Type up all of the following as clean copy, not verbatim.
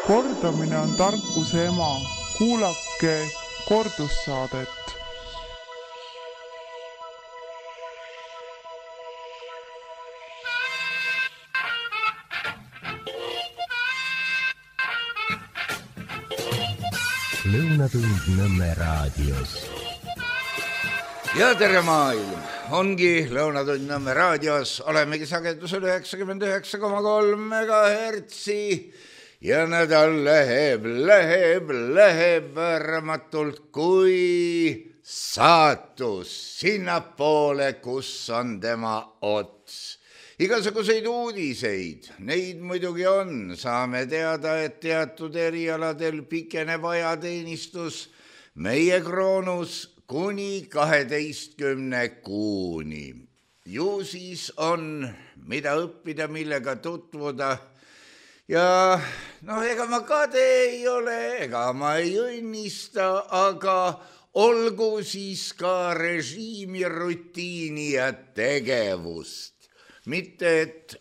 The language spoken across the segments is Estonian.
Kordamine on tarkuse ema. Kuulake kordussaadet. Lõunatund Nõmme raadios. Ja tere maailm! Ongi Lõunatund Nõmme raadios. Olemegi sagedusel 99,3 megahertsi ja nädal läheb värmatult kui saatus sinnapoole, kus on tema ots. Igasuguseid uudiseid, neid muidugi on. Saame teada, et teatud erialadel pikeneb ajateenistus meie kroonus kuni 12 kuuni. Ju siis on, mida õppida, millega tutvuda. Ja ega ma kade ei ole, ega ma ei õnnista, aga olgu siis ka režiimi, rutiini ja tegevust. Mitte, et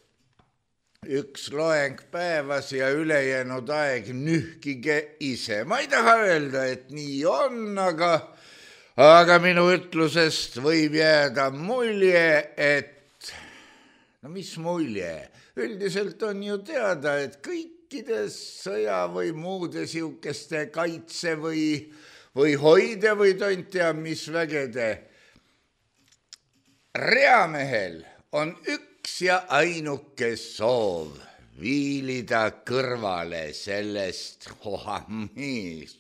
üks loeng päevas ja ülejäänud aeg nühkige ise. Ma ei taha öelda, et nii on, aga minu ütlusest võib jääda mulje, et mis mulje? Üldiselt on ju teada, et kõikides sõja või muude siukeste kaitse või hoide või tont tea mis vägede reamehel on üks ja ainuke soov viilida kõrvale sellest,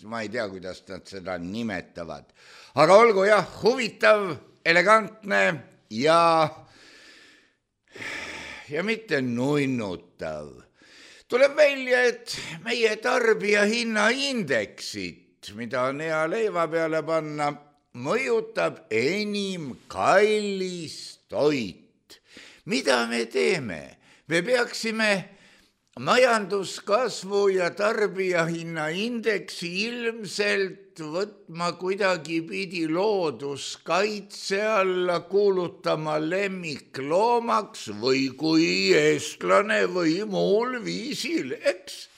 ma ei tea, kuidas nad seda nimetavad, aga olgu jah, huvitav, elegantne ja mitte nunnutav. Tuleb välja, et meie tarbijahinnaindeksit, mida on hea leiva peale panna, mõjutab enim kallis toit. Mida me teeme? Me peaksime majanduskasvu ja tarbijahinnaindeksi ilmselt võtma kuidagi pidi looduskaitse alla, kuulutama lemmikloomaks või kui eestlane või muul viisil, eks?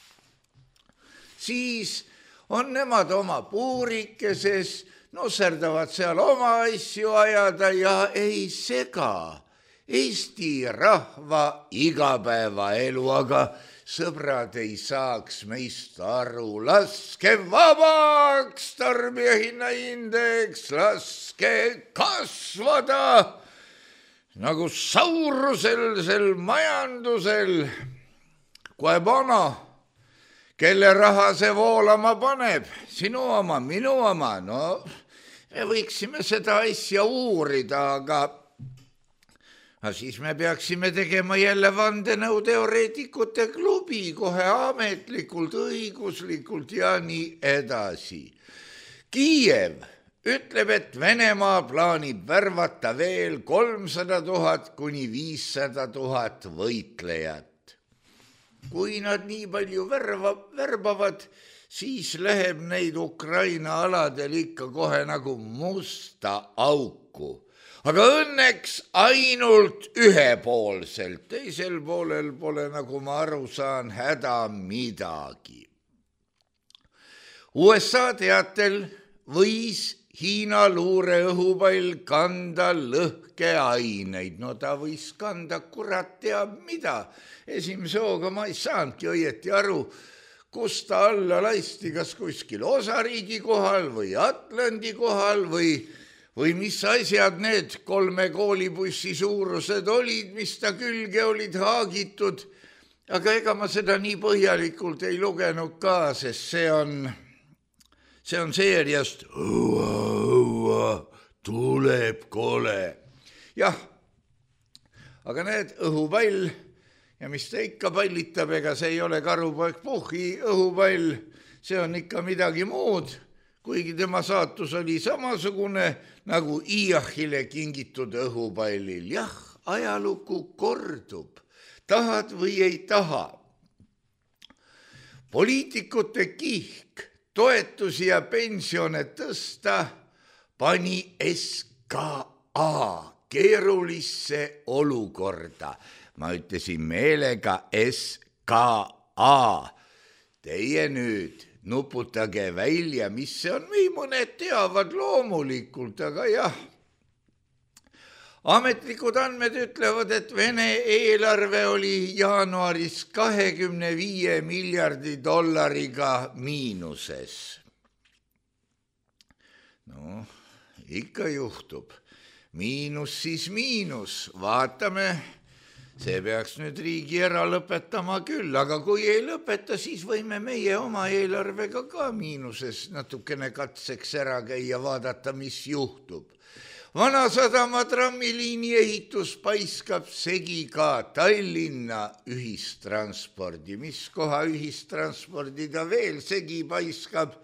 Siis on nemad oma puurikeses, nusserdavad seal oma asju ajada ja ei sega Eesti rahva igapäevaelu, aga sõbrad ei saaks meist aru. Laske vabaks tarbijahinnaindeks, laske kasvada nagu saurusel sel majandusel. Koe bono, kelle raha see voolama paneb, sinu oma, minu oma. No, me võiksime seda asja uurida, aga siis me peaksime tegema jälle vandenõuteoreetikute klubi kohe ametlikult, õiguslikult ja nii edasi. Kiiev ütleb, et Venemaa plaanib värvata veel 300 000 kuni 500 000 võitlejat. Kui nad nii palju värbavad, siis läheb neid Ukraina aladel ikka kohe nagu musta auku. Aga õnneks ainult ühepoolselt, teisel poolel pole, nagu ma aru saan, häda midagi. USA teatel võis Hiina luureõhupall kanda lõhkeaineid. No ta võis kanda kurat teab mida. Esimese hooga ma ei saanudki õieti aru, kus ta alla lasti, kas kuskil osariigi kohal või Atlandi kohal või mis asjad need 3 koolibussi suurused olid, mis ta külge olid haagitud. Aga ega ma seda nii põhjalikult ei lugenud ka, sest see on seeriast tuleb kole. Jah, aga need õhupall ja mis ta ikka pallitab, ega see ei ole karupoeg Puhhi õhupall, see on ikka midagi muud. Kuigi tema saatus oli samasugune nagu Iachile kingitud õhupallil. Jah, ajalugu kordub, tahad või ei taha. Poliitikute kihk toetusi ja pensione tõsta pani SKA keerulisse olukorda. Ma ütlesin meelega SKA. teie nüüd nuputage välja, mis see on, või mõned teavad loomulikult, aga jah. Ametlikud andmed ütlevad, et Vene eelarve oli jaanuaris 25 miljardi dollariga miinuses. No, ikka juhtub. Miinus siis miinus. Vaatame, see peaks nüüd riigi ära lõpetama küll, aga kui ei lõpeta, siis võime meie oma eelarvega ka miinuses natukene katseks ära käia, vaadata, mis juhtub. Vanasadama trammiliini ehitus paiskab segi ka Tallinna ühistranspordi. Mis koha ühistranspordi ta veel segi paiskab?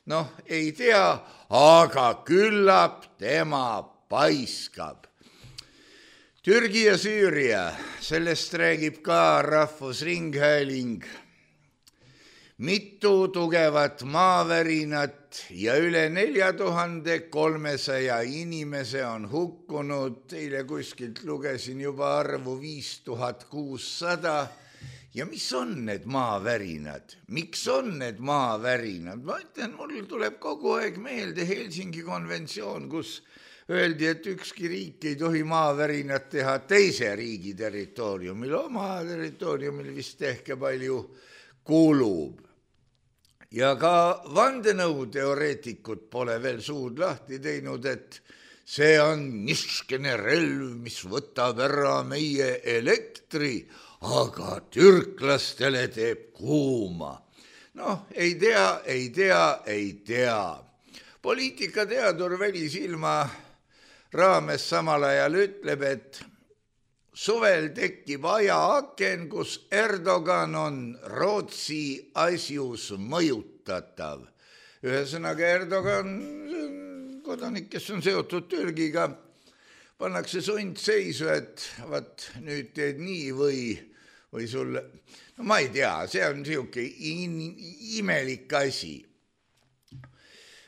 Noh, ei tea, aga küllap tema paiskab. Türgi ja Süüria, sellest räägib ka Rahvusringhääling. Mitu tugevat maavärinat ja üle 4300 inimese on hukkunud. Teile kuskilt lugesin juba arvu 5600. Ja mis on need maavärinad? Miks on need maavärinad? Ma ütlen, mul tuleb kogu aeg meelde Helsingi konventsioon, kus öeldi, et ükski riik ei tohi maavärinat teha teise riigi territooriumil. Oma territooriumil vist ehk palju kulub. Ja ka vandenõuteoreetikud pole veel suud lahti teinud, et see on niskene relv, mis võtab ära meie elektri, aga türklastele teeb kuuma. Noh, ei tea. Poliitikateadur Välisilma raames samal ajal ütleb, et suvel tekib ajaaken, kus Erdogan on Rootsi asjus mõjutatav. Ühesõnaga Erdogan, kodanik, kes on seotud Türgiga, pannakse sundseisu, et vaat nüüd teed nii või sul, no ma ei tea, see on siuke imelik asi.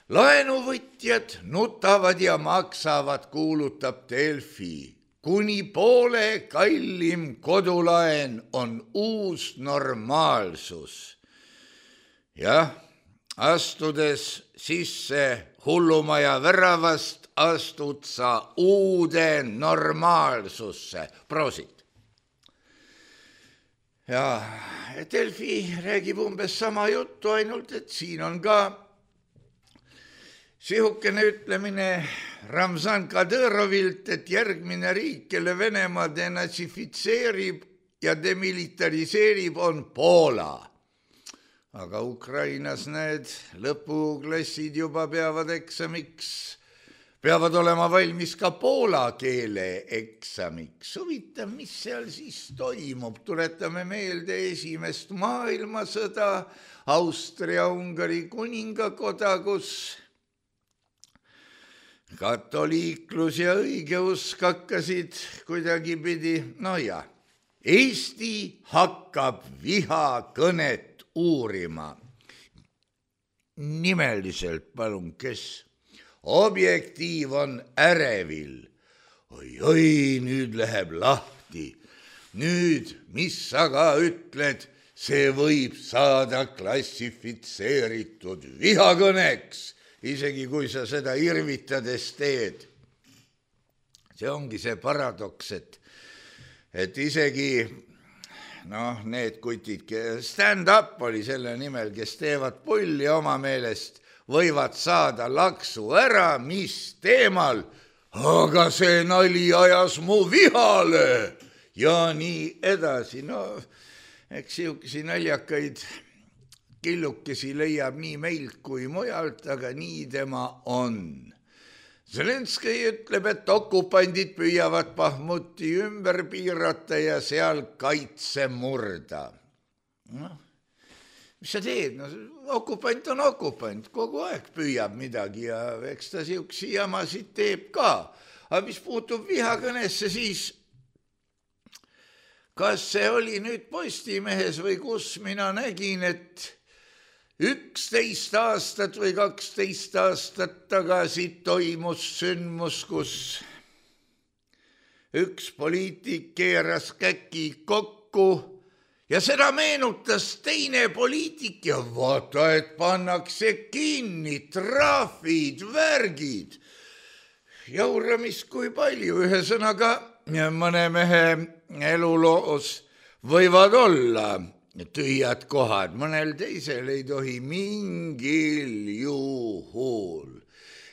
Laenuvõtjad nutavad ja maksavad, kuulutab Delfi. Kuni poole kallim kodulaen on uus normaalsus. Jah, astudes sisse hullumaja väravast, astud sa uude normaalsusse. Prosit. Ja Delfi räägib umbes sama juttu, ainult et siin on ka sihukene ütlemine Ramzan Kadõrovilt, et järgmine riik, kelle Venemaa denatsifitseerib ja demilitariseerib, on Poola. Aga Ukrainas need lõpuklassid juba peavad eksamiks, peavad olema valmis ka poola keele eksamiks. Huvitav, mis seal siis toimub? Tuletame meelde Esimest maailmasõda, Austria-Ungari kuningakoda, kus katoliiklus ja õigeusk hakkasid kuidagipidi, no ja, Eesti hakkab vihakõnet uurima. Nimeliselt palun, kes? Objektiiv on ärevil. Oi, nüüd läheb lahti. Nüüd, mis sa ka ütled, see võib saada klassifitseeritud vihakõneks. Isegi kui sa seda irvitades teed. See ongi see paradoks, et isegi need kutid, stand-up oli selle nimel, kes teevad pulli oma meelest, võivad saada laksu ära, mis teemal, aga see nali ajas mu vihale ja nii edasi. No, eks siukesi naljakaid killukesi leiab nii meilt kui mujalt, aga nii tema on. Zelenskõi ütleb, et okupandid püüavad Bahmuti ümber piirata ja seal kaitse murda. Mis sa teed? Okupant on okupant, kogu aeg püüab midagi ja eks ta siuksi jamasid teeb ka. Aga mis puutub vihakõnesse, siis kas see oli nüüd Postimehes või kus mina nägin, et 11 aastat või 12 aastat tagasi toimus sündmus, kus üks poliitik keeras käki kokku Ja seda meenutas teine poliitik ja vaata, et pannakse kinni, trahvid, värgid. Jauramist kui palju, ühesõnaga mõne mehe eluloos võivad olla tühjad kohad, mõnel teisel ei tohi mingil juhul.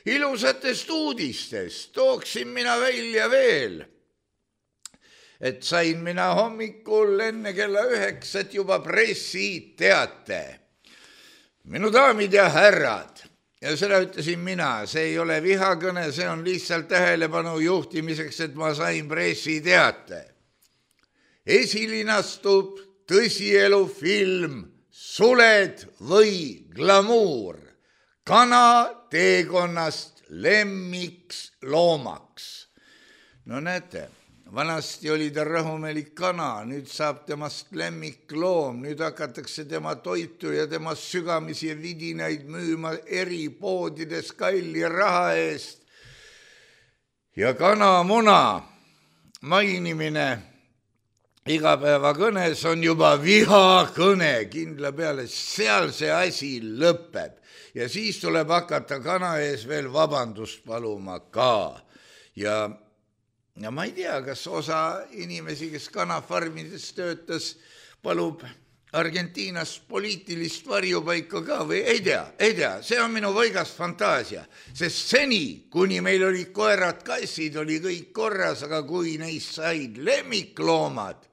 Ilusatest uudistest tooksin mina välja veel, et sain mina hommikul enne kella 9 juba pressiteate. Minu daamid ja härrad, ja seda ütlesin mina, see ei ole vihakõne, see on lihtsalt tähelepanu juhtimiseks, et ma sain pressiteate. Esilinastub tõsielufilm Suled või glamuur, kana teekonnast lemmiks loomaks. No näete, vanasti oli ta rahumelik kana, nüüd saab temast lemmikloom, nüüd hakatakse tema toitu ja tema sügamisi ja vidinaid müüma eri poodides kalli raha eest. Ja kanamuna mainimine igapäevakõnes on juba vihakõne kindla peale, seal see asi lõpeb ja siis tuleb hakata kana ees veel vabandust paluma ka. Ja ma ei tea, kas osa inimesi, kes kanafarmides töötas, palub Argentiinas poliitilist varjupaika ka või ei tea, see on minu võigas fantaasia, sest seni, kuni meil olid koerad, kassid, oli kõik korras, aga kui neist said lemmikloomad,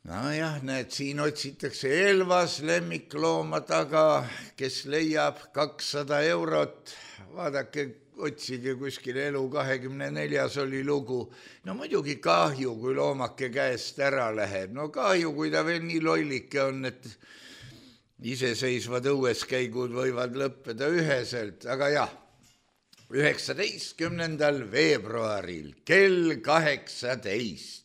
nojah, näed, siin otsitakse Elvas lemmiklooma taga, kes leiab 200 eurot, vaadake, otsige kuskil Elu 24 oli lugu. No muidugi kahju, kui loomake käest ära läheb. No kahju, kui ta veel nii lollike on, et iseseisvad õueskäigud võivad lõppeda üheselt. Aga jah, 19. veebruaril kell 18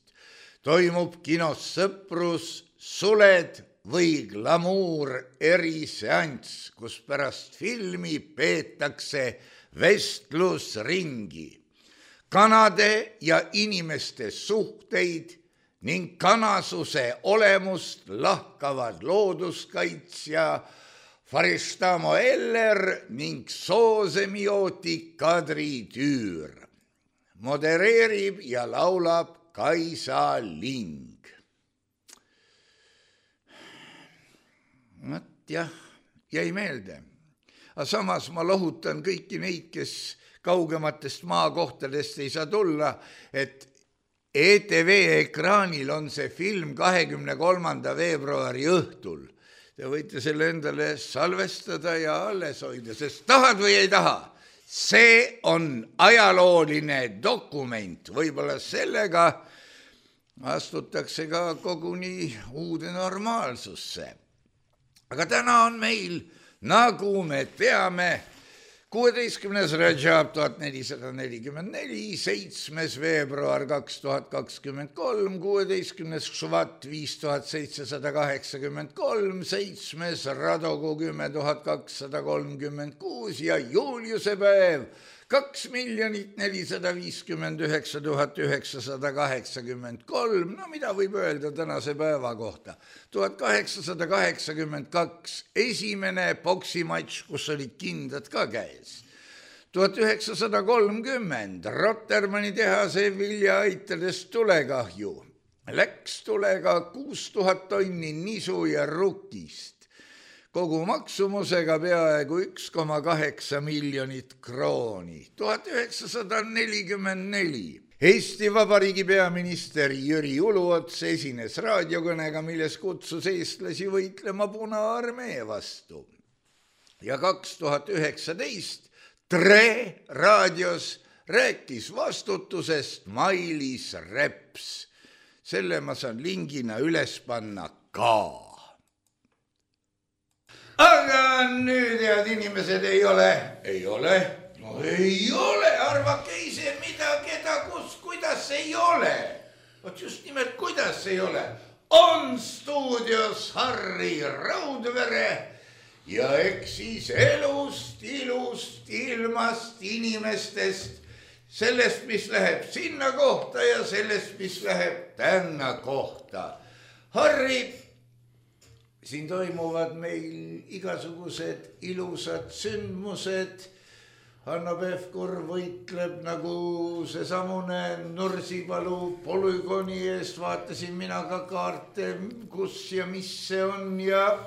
toimub kinos Sõprus Suled või glamuur eriseanss, kus pärast filmi peetakse vestlusringi, kanade ja inimeste suhteid ning kanasuse olemust lahkavad looduskaitsja Faristamo Eller ning soosemiootik Kadri Tüür. Modereerib ja laulab Kaisa Ling. Jah, jäi meelde. Aga samas ma lohutan kõiki neid, kes kaugematest maakohtadest ei saa tulla, et ETV ekraanil on see film 23. veebruari õhtul. Te võite selle endale salvestada ja alles hoida, sest tahad või ei taha. See on ajalooline dokument, võib-olla sellega astutakse ka koguni uude normaalsusse. Aga täna on meil, nagu me teame, 16. Rajab 1444, 7. veebruar 2023, 16. Švat 5783, 7. Radogu 10236 ja Juliuse päev 2 459 983. No mida võib öelda tänase päeva kohta? 1882 esimene poksimatš, kus olid kindad ka käes. 1930 Rotermanni tehase viljaaitadest tulekahju. Läks tulega 6000 tonni nisu ja rukist. Kogu maksumusega peaaegu 1,8 miljonit krooni. 1944 Eesti Vabariigi peaminister Jüri Uluots esines raadiokõnega, milles kutsus eestlasi võitlema Punaarmee vastu. Ja 2019 Tre raadios rääkis vastutusest Mailis Reps. Selle ma saan lingina üles panna ka. Aga nüüd, head inimesed, ei ole. No ei ole, arvake ise mida, keda, kus, kuidas ei ole. Vot just nimelt, kuidas ei ole. On stuudios Harri Raudvere ja eks siis elust, ilust, ilmast, inimestest, sellest, mis läheb sinna kohta ja sellest, mis läheb tänna kohta. Harri, siin toimuvad meil igasugused ilusad sündmused. Hanno Pevkur võitleb nagu see samune Nursipalu polügooni eest. Vaatasin mina ka kaarte, kus ja mis see on ja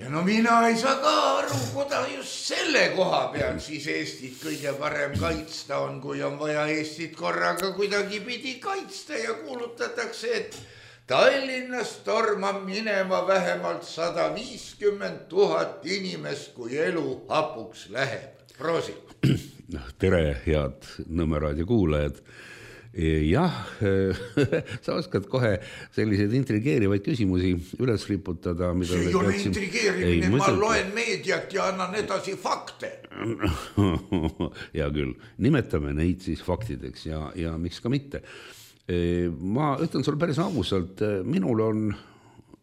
no mina ei saa ka aru, kuda just selle koha peal siis Eestit kõige parem kaitsta on, kui on vaja Eestit korraga kuidagi pidi kaitsta ja kuulutatakse, et Tallinnast tormab minema vähemalt 150 000 inimest, kui elu hapuks läheb. Proosi. Tere, head Nõmme raadio kuulajad. Jah, sa oskad kohe selliseid intrigeerivaid küsimusi üles riputada. See ei ole intrigeerimine, ma loen meediat ja annan edasi fakte. Hea küll, nimetame neid siis faktideks ja miks ka mitte. Ma ütlen sulle päris ausalt, minul on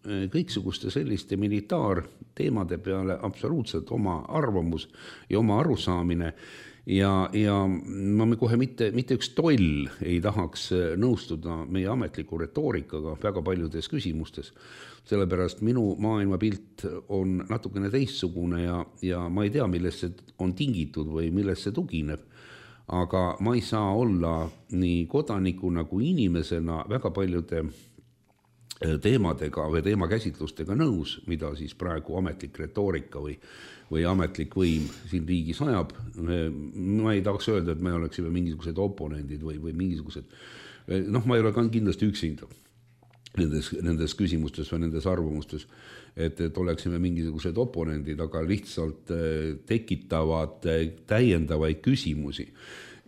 kõiksuguste selliste militaarteemade peale absoluutselt oma arvamus ja oma arusaamine ja ma kohe mitte üks toll ei tahaks nõustuda meie ametliku retoorikaga väga paljudes küsimustes, sellepärast minu maailmapilt on natukene teistsugune ja ma ei tea, millest see on tingitud või millest see tugineb, aga ma ei saa olla nii kodanikuna kui inimesena väga paljude teemadega või teemakäsitlustega nõus, mida siis praegu ametlik retoorika või ametlik võim siin riigis ajab. Ma ei tahaks öelda, et me oleksime mingisugused oponendid või mingisugused, ma ei ole ka kindlasti üksinda nendes küsimustes või nendes arvamustes, et oleksime mingisugused oponendid, aga lihtsalt tekitavad täiendavaid küsimusi.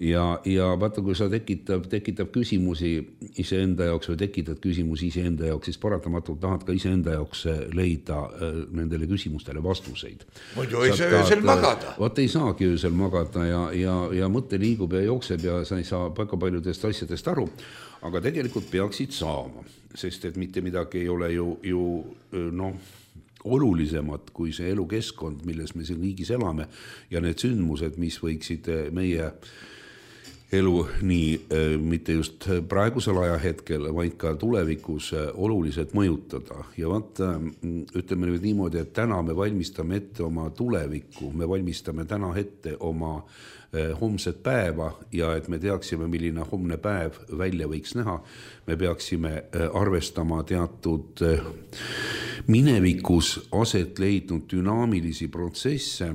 Ja vaata, kui sa tekitab küsimusi iseenda jaoks või tekitad küsimusi iseenda jaoks, siis paratamatult tahad ka iseenda jaoks leida nendele küsimustele vastuseid. Muidu ei saa öösel magada. Vaat ei saagi öösel magada ja mõte liigub ja jookseb ja sa ei saa väga paljudest asjadest aru, aga tegelikult peaksid saama, sest et mitte midagi ei ole ju olulisemat kui see elukeskkond, milles me siin riigis elame ja need sündmused, mis võiksid meie elu nii mitte just praegusel ajahetkel, vaid ka tulevikus oluliselt mõjutada. Ja vaata, ütleme nüüd niimoodi, et täna me valmistame ette oma tulevikku, me valmistame täna ette oma homset päeva ja et me teaksime, milline homne päev välja võiks näha, me peaksime arvestama teatud minevikus aset leidnud dünaamilisi protsesse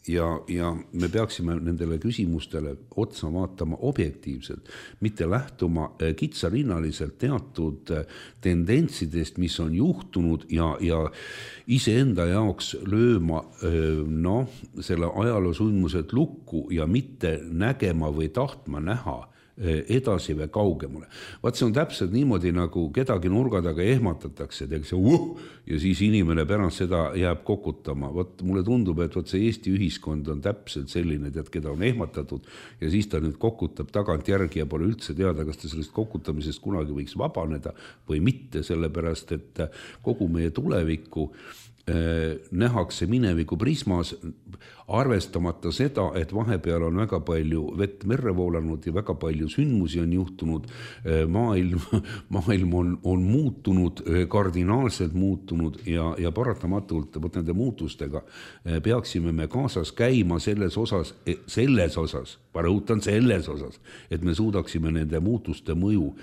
ja me peaksime nendele küsimustele otsa vaatama objektiivselt, mitte lähtuma kitsarinnaliselt teatud tendentsidest, mis on juhtunud ja iseenda jaoks lööma selle ajaloosunmused lukku ja mitte nägema või tahtma näha edasi või kaugemale. Vaat see on täpselt niimoodi, nagu kedagi nurga taga ehmatatakse, ja siis inimene pärast seda jääb kokutama. Vaat mulle tundub, et see Eesti ühiskond on täpselt selline, keda on ehmatatud ja siis ta nüüd kokutab tagant järgi ja pole üldse teada, kas ta sellest kokutamisest kunagi võiks vabaneda või mitte, sellepärast, et kogu meie tulevikku nähakse mineviku prismas, arvestamata seda, et vahepeal on väga palju vett merre voolanud ja väga palju sündmusi on juhtunud, maailm on muutunud, kardinaalselt muutunud ja paratamatult nende muutustega peaksime me kaasas käima selles osas, ma rõhutan selles osas, et me suudaksime nende muutuste mõju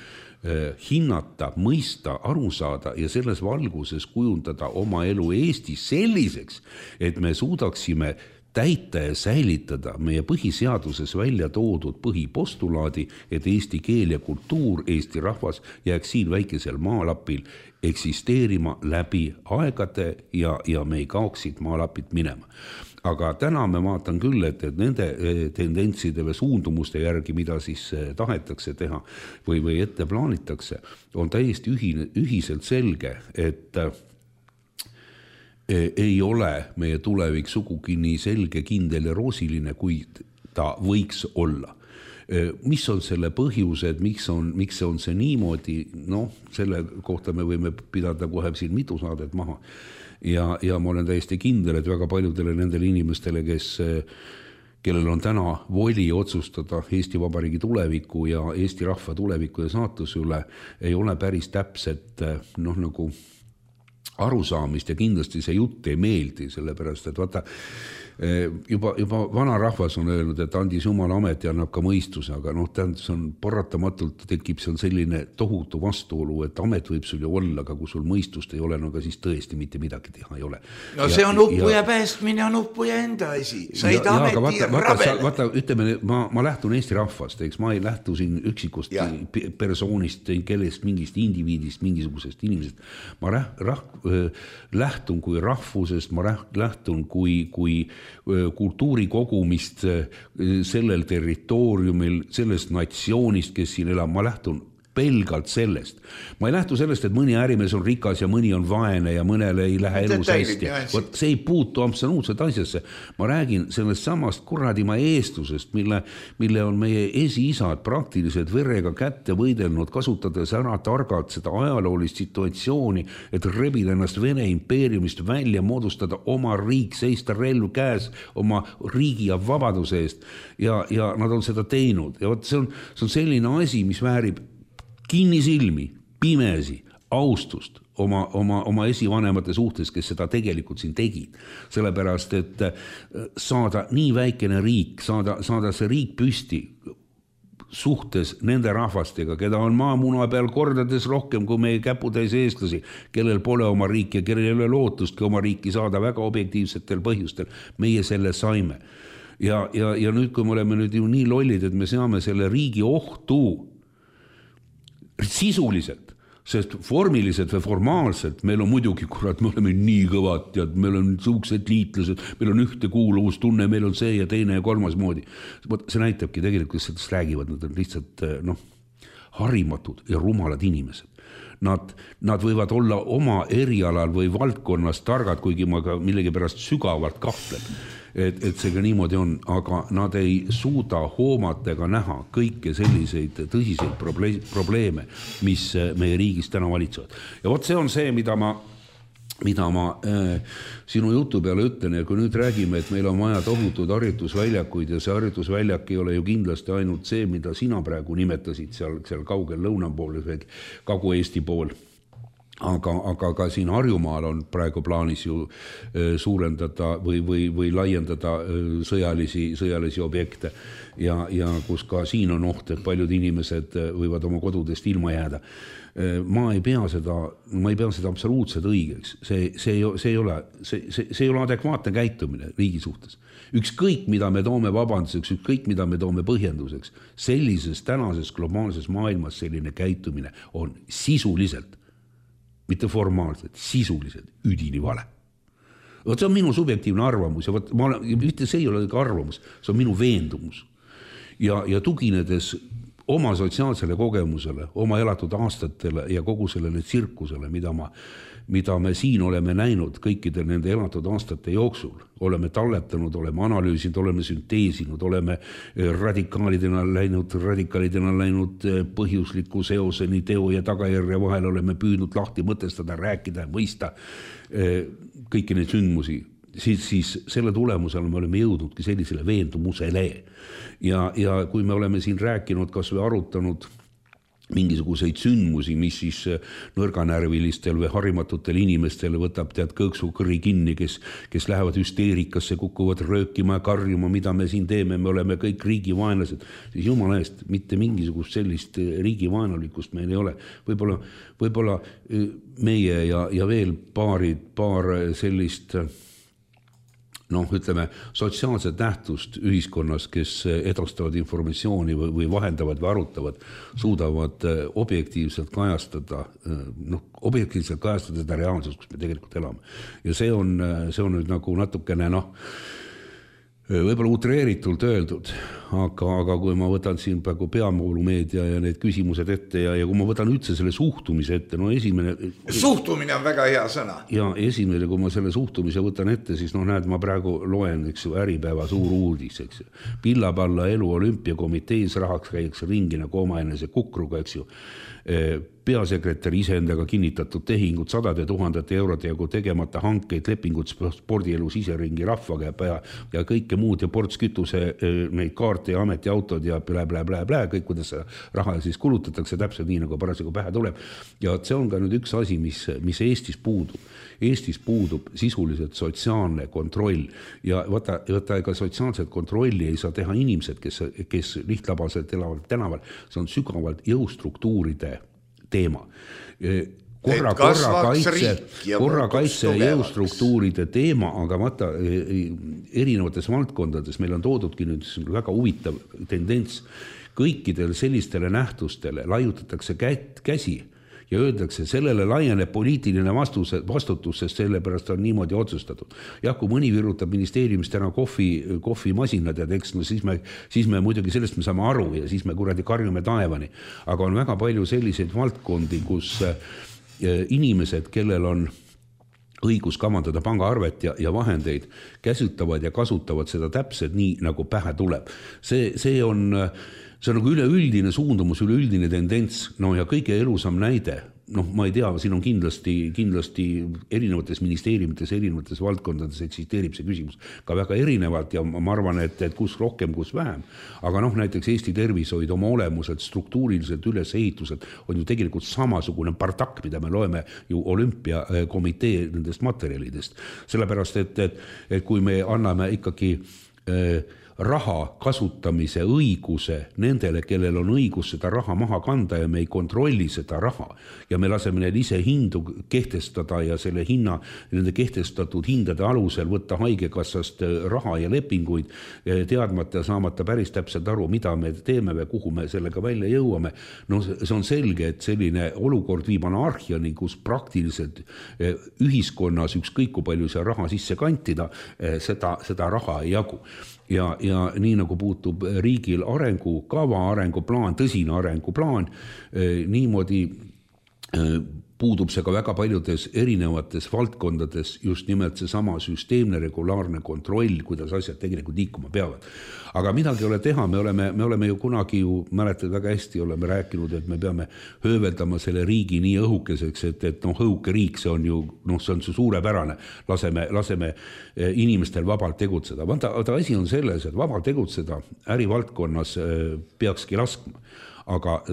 hinnata, mõista, aru saada ja selles valguses kujundada oma elu Eestis selliseks, et me suudaksime täita ja säilitada meie põhiseaduses välja toodud põhipostulaadi, et eesti keel ja kultuur, Eesti rahvas jääks siin väikesel maalapil eksisteerima läbi aegade ja me ei kaoksid maalapit minema. Aga täna me vaatan küll, et nende tendentside või suundumuste järgi, mida siis tahetakse teha või ette plaanitakse, on täiesti ühiselt selge, et ei ole meie tulevik sugugi nii selge, kindel ja roosiline, kui ta võiks olla. Mis on selle põhjused, miks on see niimoodi, selle kohta me võime pidada kohe siin mitu saadet maha. Ja ma olen täiesti kindel, et väga paljudele nendele inimestele, kellel on täna voli otsustada Eesti Vabariigi tuleviku ja Eesti rahva tuleviku ja saatuse üle, ei ole päris täpset nagu arusaamist ja kindlasti see jutt ei meeldi, sellepärast, et vaata, juba vana rahvas on öelnud, et andis Jumala amet ja annab ka mõistuse, aga see on paratamatult tekib seal selline tohutu vastuolu, et amet võib sul ju olla, aga kui sul mõistust ei ole, no aga siis tõesti mitte midagi teha ei ole. No see on uppuja päästmine, on uppuja enda asi. Said ameti rabel. Vaata, ütleme, ma lähtun Eesti rahvast, eks ma ei lähtu siin üksikust persoonist, kellest mingist indiviidist, mingisugusest inimesest. Ma lähtun kui rahvusest, ma lähtun kui kultuurikogumist sellel territooriumil, sellest natsioonist, kes siin elab, ma lähtun pelgalt sellest. Ma ei lähtu sellest, et mõni ärimees on rikas ja mõni on vaene ja mõnele ei lähe elus hästi. See ei puutu absoluutselt asjasse. Ma räägin sellest samast kuradimaa eestlusest, mille on meie esiisad praktiliselt verega kätte võidelnud, kasutades ära targalt seda ajaloolist situatsiooni, et rebida ennast Vene impeeriumist välja, moodustada oma riik, seista relv käes oma riigi ja vabaduse eest. Ja nad on seda teinud. Ja see on selline asi, mis väärib kinnisilmi, pimesi, austust oma esivanemate suhtes, kes seda tegelikult siin tegid. Sellepärast, et saada nii väikene riik, saada see riik püsti suhtes nende rahvastega, keda on maamuna peal kordades rohkem kui meie käputäis eestlasi, kellel pole oma riik ja kellel ei ole lootustki oma riiki saada väga objektiivsetel põhjustel. Meie selle saime. Ja nüüd, kui me oleme nüüd ju nii lollid, et me seame selle riigi ohtu sisuliselt, sest formiliselt või formaalselt meil on muidugi, kurat, me oleme nii kõvad ja meil on suuksed liitlased, meil on ühtekuuluvustunne, meil on see ja teine ja kolmas moodi. See näitabki tegelikult, kes sellest räägivad, nad on lihtsalt harimatud ja rumalad inimesed. Nad võivad olla oma erialal või valdkonnas targad, kuigi ma ka millegi pärast sügavalt kahtlen, et see ka niimoodi on, aga nad ei suuda hoomata ega näha kõike selliseid tõsiseid probleeme, mis meie riigis täna valitsevad. Ja vot see on see, mida ma sinu jutu peale ütlen, ja kui nüüd räägime, et meil on vaja tohutud harjutusväljakuid ja see harjutusväljak ei ole ju kindlasti ainult see, mida sina praegu nimetasid seal kaugel lõuna pool või Kagu-Eesti pool. Aga ka siin Harjumaal on praegu plaanis ju suurendada või laiendada sõjalisi objekte ja kus ka siin on oht, et paljud inimesed võivad oma kodudest ilma jääda. Ma ei pea seda absoluutselt õigeks. See ei ole adekvaatne käitumine riigi suhtes. Ükskõik, mida me toome vabanduseks, ükskõik, mida me toome põhjenduseks, sellises tänases globaalses maailmas selline käitumine on sisuliselt, mitte formaalselt, sisuliselt üdini vale. See on minu subjektiivne arvamus ja mitte see ei ole ka arvamus, see on minu veendumus. Ja tuginedes oma sotsiaalsele kogemusele, oma elatud aastatele ja kogu sellele tsirkusele, mida me siin oleme näinud kõikide nende elatud aastate jooksul, oleme talletanud, oleme analüüsinud, oleme sünteesinud, oleme radikaalidena läinud põhjusliku seoseni teo ja tagajärje vahel, oleme püüdnud lahti mõtestada, rääkida ja mõista kõiki neid sündmusi, siis selle tulemusel me oleme jõudnudki sellisele veendumusele. Ja kui me oleme siin rääkinud, kas või arutanud mingisuguseid sündmusi, mis siis nõrganärvilistel või harimatutel inimestel võtab kõõksu kõri kinni, kes lähevad hüsteerikasse, kukuvad röökima ja karjuma, mida me siin teeme, me oleme kõik riigivaenlased, siis jumala eest, mitte mingisugust sellist riigivaenulikkust meil ei ole. Võib-olla meie ja veel paar sellist ütleme, sotsiaalset nähtust ühiskonnas, kes edastavad informatsiooni või vahendavad või arutavad, suudavad objektiivselt kajastada seda reaalsust, kus me tegelikult elame. Ja see on nüüd nagu natukene võib-olla utreeritult öeldud, aga kui ma võtan siin praegu peavoolumeedia ja need küsimused ette ja kui ma võtan üldse selle suhtumise ette, esimene... Suhtumine on väga hea sõna. Ja esimene, kui ma selle suhtumise võtan ette, siis näed, ma praegu loen, Äripäeva suur uudis, eks ju. Pillapalla elu olümpiakomitees rahaks käiks ringi nagu omaenese kukruga, eks ju. peasekretär iseendaga kinnitatud tehingud, 100 000 eurode jagu tegemata hankeid, lepingud spordielu siseringi rahvaga ja kõike muud ja ports kütuse, neid kaarte ja ametiautod ja blä, kõik, kuidas raha siis kulutatakse täpselt nii, nagu parasjagu pähe tuleb. Ja see on ka nüüd üks asi, mis Eestis puudub. Eestis puudub sisuliselt sotsiaalne kontroll ja võta ega sotsiaalset kontrolli ei saa teha inimesed, kes lihtlabaselt elavad tänaval. See on sügavalt jõustruktuuride teema. Korrakaitse jõustruktuuride teema, aga vaata erinevates valdkondades meil on toodudki nüüd väga huvitav tendents. Kõikidel sellistele nähtustele laiutatakse käsi ja öeldakse, sellele laieneb poliitiline vastutus, sest sellepärast on niimoodi otsustatud. Jah, kui mõni virutab ministeeriumist täna kohvimasinad ja tekst, no siis me muidugi sellest me saame aru ja siis me kuradi karjume taevani. Aga on väga palju selliseid valdkondi, kus inimesed, kellel on õigus kavandada pangaarvet ja vahendeid, käsutavad ja kasutavad seda täpselt nii, nagu pähe tuleb. See on nagu üleüldine suundumus, üleüldine tendents, no ja kõige elusam näide, ma ei tea, siin on kindlasti erinevates ministeeriumites, erinevates valdkondades eksisteerib see küsimus ka väga erinevalt ja ma arvan, et kus rohkem, kus vähem. Aga näiteks Eesti tervishoid oma olemuselt, struktuuriliselt, ülesehituselt on ju tegelikult samasugune partak, mida me loeme ju olümpiakomitee nendest materjalidest. Sellepärast, et kui me anname ikkagi raha kasutamise õiguse nendele, kellel on õigus seda raha maha kanda ja me ei kontrolli seda raha ja me laseme neil ise hindu kehtestada ja selle hinna, nende kehtestatud hindade alusel võtta haigekassast raha ja lepinguid teadmata ja saamata päris täpselt aru, mida me teeme või kuhu me sellega välja jõuame. No see on selge, et selline olukord viib anarhiani, kus praktiliselt ühiskonnas ükskõik kui palju see raha sisse kantida, seda raha ei jagu. Ja nii nagu puutub riigil arengukava, arenguplaan, tõsine arenguplaan, niimoodi puudub see ka väga paljudes erinevates valdkondades just nimelt see sama süsteemne regulaarne kontroll, kuidas asjad tegelikult liikuma peavad. Aga midagi ei ole teha, me oleme ju kunagi mäletad väga hästi, oleme rääkinud, et me peame hööveldama selle riigi nii õhukeseks, et õhuke riik, see on ju, see on suurepärane, laseme inimestel vabalt tegutseda. Vaata, asi on selles, et vabalt tegutseda ärivaldkonnas peakski laskma, aga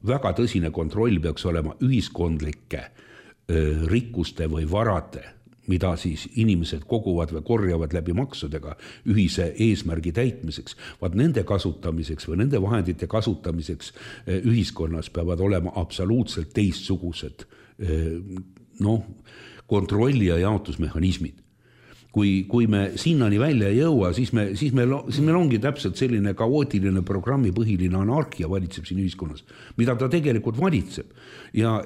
väga tõsine kontroll peaks olema ühiskondlike rikkuste või varade, mida siis inimesed koguvad või korjavad läbi maksudega ühise eesmärgi täitmiseks. Vaat nende kasutamiseks või nende vahendite kasutamiseks ühiskonnas peavad olema absoluutselt teistsugused kontrolli- ja jaotusmehhanismid. Kui me sinnani välja ei jõua, siis meil ongi täpselt selline kaootiline programmi põhiline anarhia valitseb siin ühiskonnas, mida ta tegelikult valitseb. Ja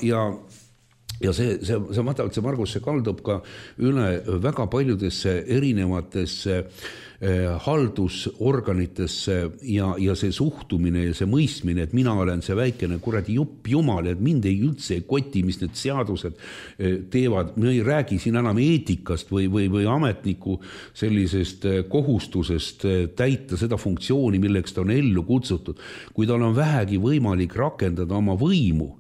see Margus, see kaldub ka üle väga paljudesse erinevatesse haldusorganitesse ja see suhtumine ja see mõistmine, et mina olen see väikene kuradi jumal, et mind ei üldse koti, mis need seadused teevad. Me ei räägi siin enam eetikast või ametniku sellisest kohustusest täita seda funktsiooni, milleks ta on ellu kutsutud. Kui tal on vähegi võimalik rakendada oma võimu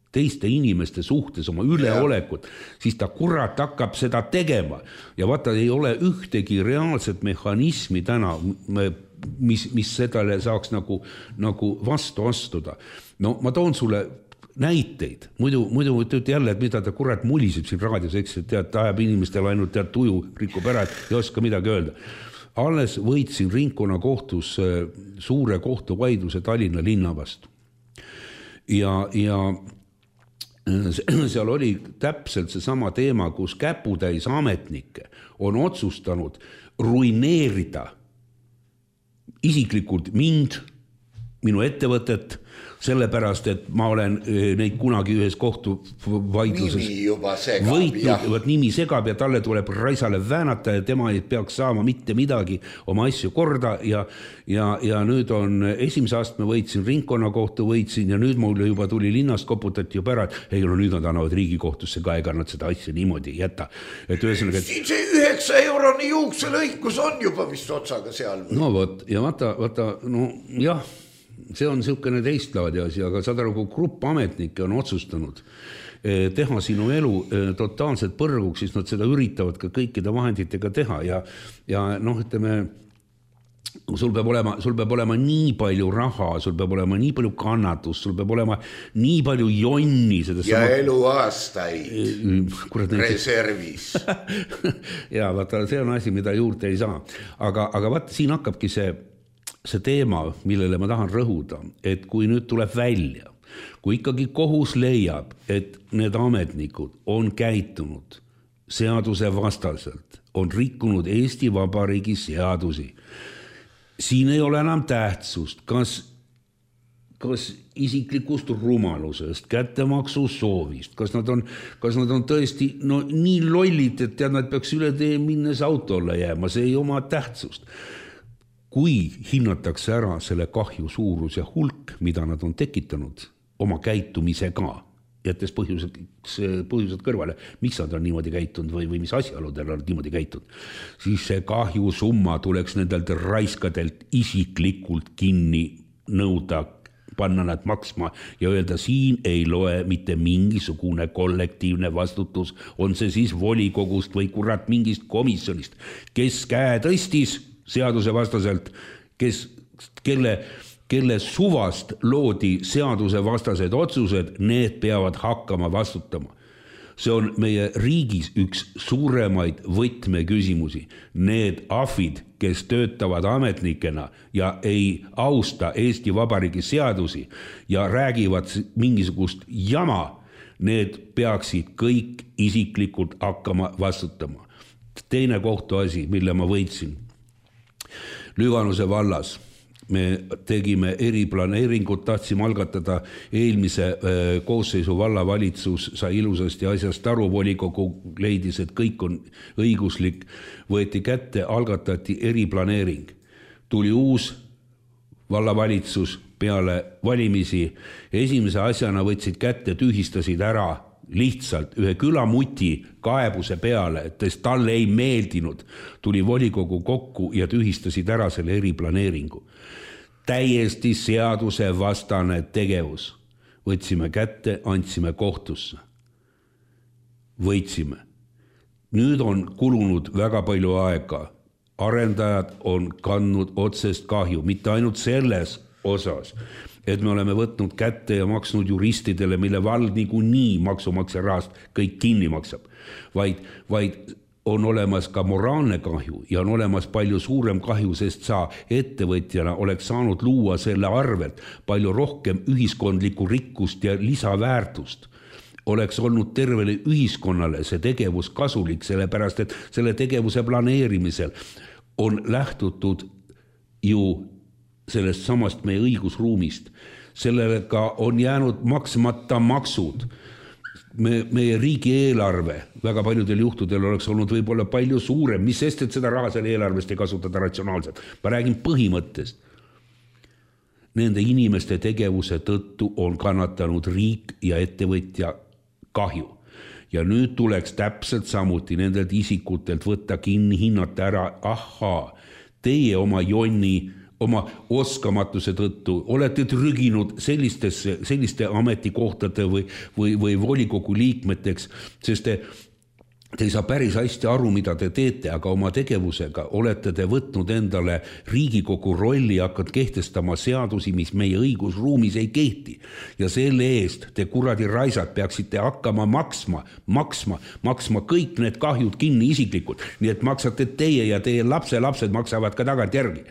teiste inimeste suhtes, oma üleolekut, siis ta kurat hakkab seda tegema. Ja vaata, ei ole ühtegi reaalset mehhanismi täna, mis sedale saaks nagu vastu astuda. No ma toon sulle näiteid. Muidu ütled jälle, et mida ta kurat muliseb siin raadios, eks, et tead, ajab inimestel ainult tead tuju, rikub ära, et ei oska midagi öelda. Alles võitsin ringkonna kohtus suure kohtuvaidluse Tallinna linna vastu. Ja seal oli täpselt see sama teema, kus käputäis ametnikke on otsustanud ruineerida isiklikult mind, minu ettevõtet, sellepärast, et ma olen neid kunagi ühes kohtuvaidluses võitnud, nimi segab ja talle tuleb raisale väänata ja tema ei peaks saama mitte midagi oma asju korda ja nüüd on esimese astme võitsin, ringkonnakohtu võitsin ja nüüd mul juba tuli linnast koputati juba ära, et nüüd nad annavad riigikohtusse ka, ega nad seda asja niimoodi ei jäta. Et ühesõnaga, siin see 9 euroni juukselõikus on juba vist otsaga seal. No võt, ja vaata, no jah, see on niisugune teistlaadi asi, aga saad aru, kui grupp ametnikke on otsustanud teha sinu elu totaalselt põrguks, siis nad seda üritavad ka kõikide vahenditega teha ja noh, ütleme, sul peab olema nii palju raha, sul peab olema nii palju kannatust, sul peab olema nii palju jonni ja eluaastaid reservis. ja vaata, see on asi, mida juurde ei saa. Aga vaata, siin hakkabki see teema, millele ma tahan rõhuda, et kui nüüd tuleb välja, kui ikkagi kohus leiab, et need ametnikud on käitunud seaduse vastaselt, on rikkunud Eesti Vabariigi seadusi, siin ei ole enam tähtsust, kas isiklikust rumalusest, kättemaksu soovist, kas nad on tõesti nii lollid, et nad peaks üle tee minnes autolle jääma, see ei oma tähtsust. Kui hinnatakse ära selle kahju suurus ja hulk, mida nad on tekitanud oma käitumisega, jättes põhjused kõrvale, miks nad on niimoodi käitunud või mis asjaoludel on niimoodi käitunud, siis see kahju summa tuleks nendelt raiskadelt isiklikult kinni nõuda, panna nad maksma ja öelda, siin ei loe mitte mingisugune kollektiivne vastutus, on see siis volikogust või kurat mingist komisjonist, kes käe tõstis seaduse vastaselt, kelle suvast loodi seaduse vastased otsused, need peavad hakkama vastutama. See on meie riigis üks suuremaid võtmeküsimusi. Need afid, kes töötavad ametnikena ja ei austa Eesti Vabariigi seadusi ja räägivad mingisugust jama, need peaksid kõik isiklikult hakkama vastutama. Teine kohtuasi, mille ma võitsin. Lüganuse vallas me tegime eriplaneeringut, tahtsime algatada eelmise koosseisu vallavalitsus, sai ilusasti asjast aru, volikogu leidis, et kõik on õiguslik, võeti kätte, algatati eriplaneering. Tuli uus vallavalitsus peale valimisi, esimese asjana võtsid kätte, tühistasid ära lihtsalt ühe külamuti kaebuse peale, et talle ei meeldinud, tuli volikogu kokku ja tühistasid ära selle eriplaneeringu. Täiesti seaduse vastane tegevus. Võtsime kätte, andsime kohtusse. Võitsime. Nüüd on kulunud väga palju aega. Arendajad on kandnud otsest kahju, mitte ainult selles osas, et me oleme võtnud kätte ja maksnud juristidele, mille vald nii maksumaksja rahast kõik kinni maksab, vaid on olemas ka moraalne kahju ja on olemas palju suurem kahju, sest sa ettevõtjana oleks saanud luua selle arvelt palju rohkem ühiskondlikku rikkust ja lisaväärtust. Oleks olnud tervele ühiskonnale see tegevus kasulik, sellepärast et selle tegevuse planeerimisel on lähtutud ju sellest samast meie õigusruumist. Sellega on jäänud maksmata maksud. Meie riigi eelarve väga paljudel juhtudel oleks olnud võib-olla palju suurem, mis sest, et seda raha selle eelarvest ei kasutada ratsionaalselt. Ma räägin põhimõttest. Nende inimeste tegevuse tõttu on kannatanud riik ja ettevõtja kahju. Ja nüüd tuleks täpselt samuti nendelt isikutelt võtta kinni, hinnata ära, ahaa, teie oma jonni, oma oskamatuse tõttu olete trüginud selliste ametikohtade või volikogu liikmeteks, sest te ei saa päris hästi aru, mida te teete, aga oma tegevusega olete te võtnud endale Riigikogu rolli ja hakkad kehtestama seadusi, mis meie õigusruumis ei kehti. Ja selle eest te kuradi raisad peaksite hakkama maksma kõik need kahjud kinni isiklikult. Nii et maksate teie ja teie lapsed maksavad ka tagant järgi.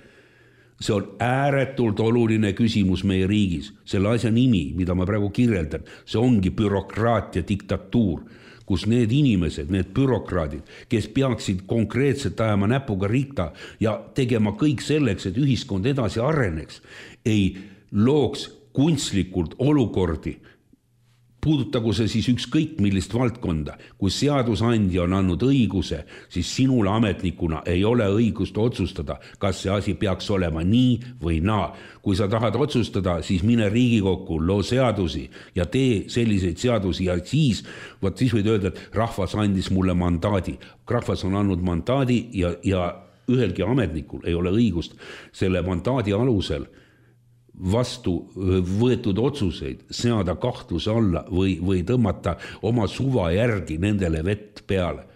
See on ääretult oluline küsimus meie riigis. Selle asja nimi, mida ma praegu kirjeldan, see ongi bürokraatia diktatuur, kus need inimesed, need bürokraadid, kes peaksid konkreetselt ajama näpuga rikta ja tegema kõik selleks, et ühiskond edasi areneks, ei looks kunstlikult olukordi, puudutagu see siis ükskõik millist valdkonda. Kui seadusandja on andnud õiguse, siis sinul ametnikuna ei ole õigust otsustada, kas see asi peaks olema nii või naa. Kui sa tahad otsustada, siis mine Riigikokku, loo seadusi ja tee selliseid seadusi ja siis võid öelda, et rahvas andis mulle mandaadi. Rahvas on andnud mandaadi ja ühelgi ametnikul ei ole õigust selle mandaadi alusel vastu võetud otsuseid seada kahtluse alla või tõmmata oma suva järgi nendele vett peale.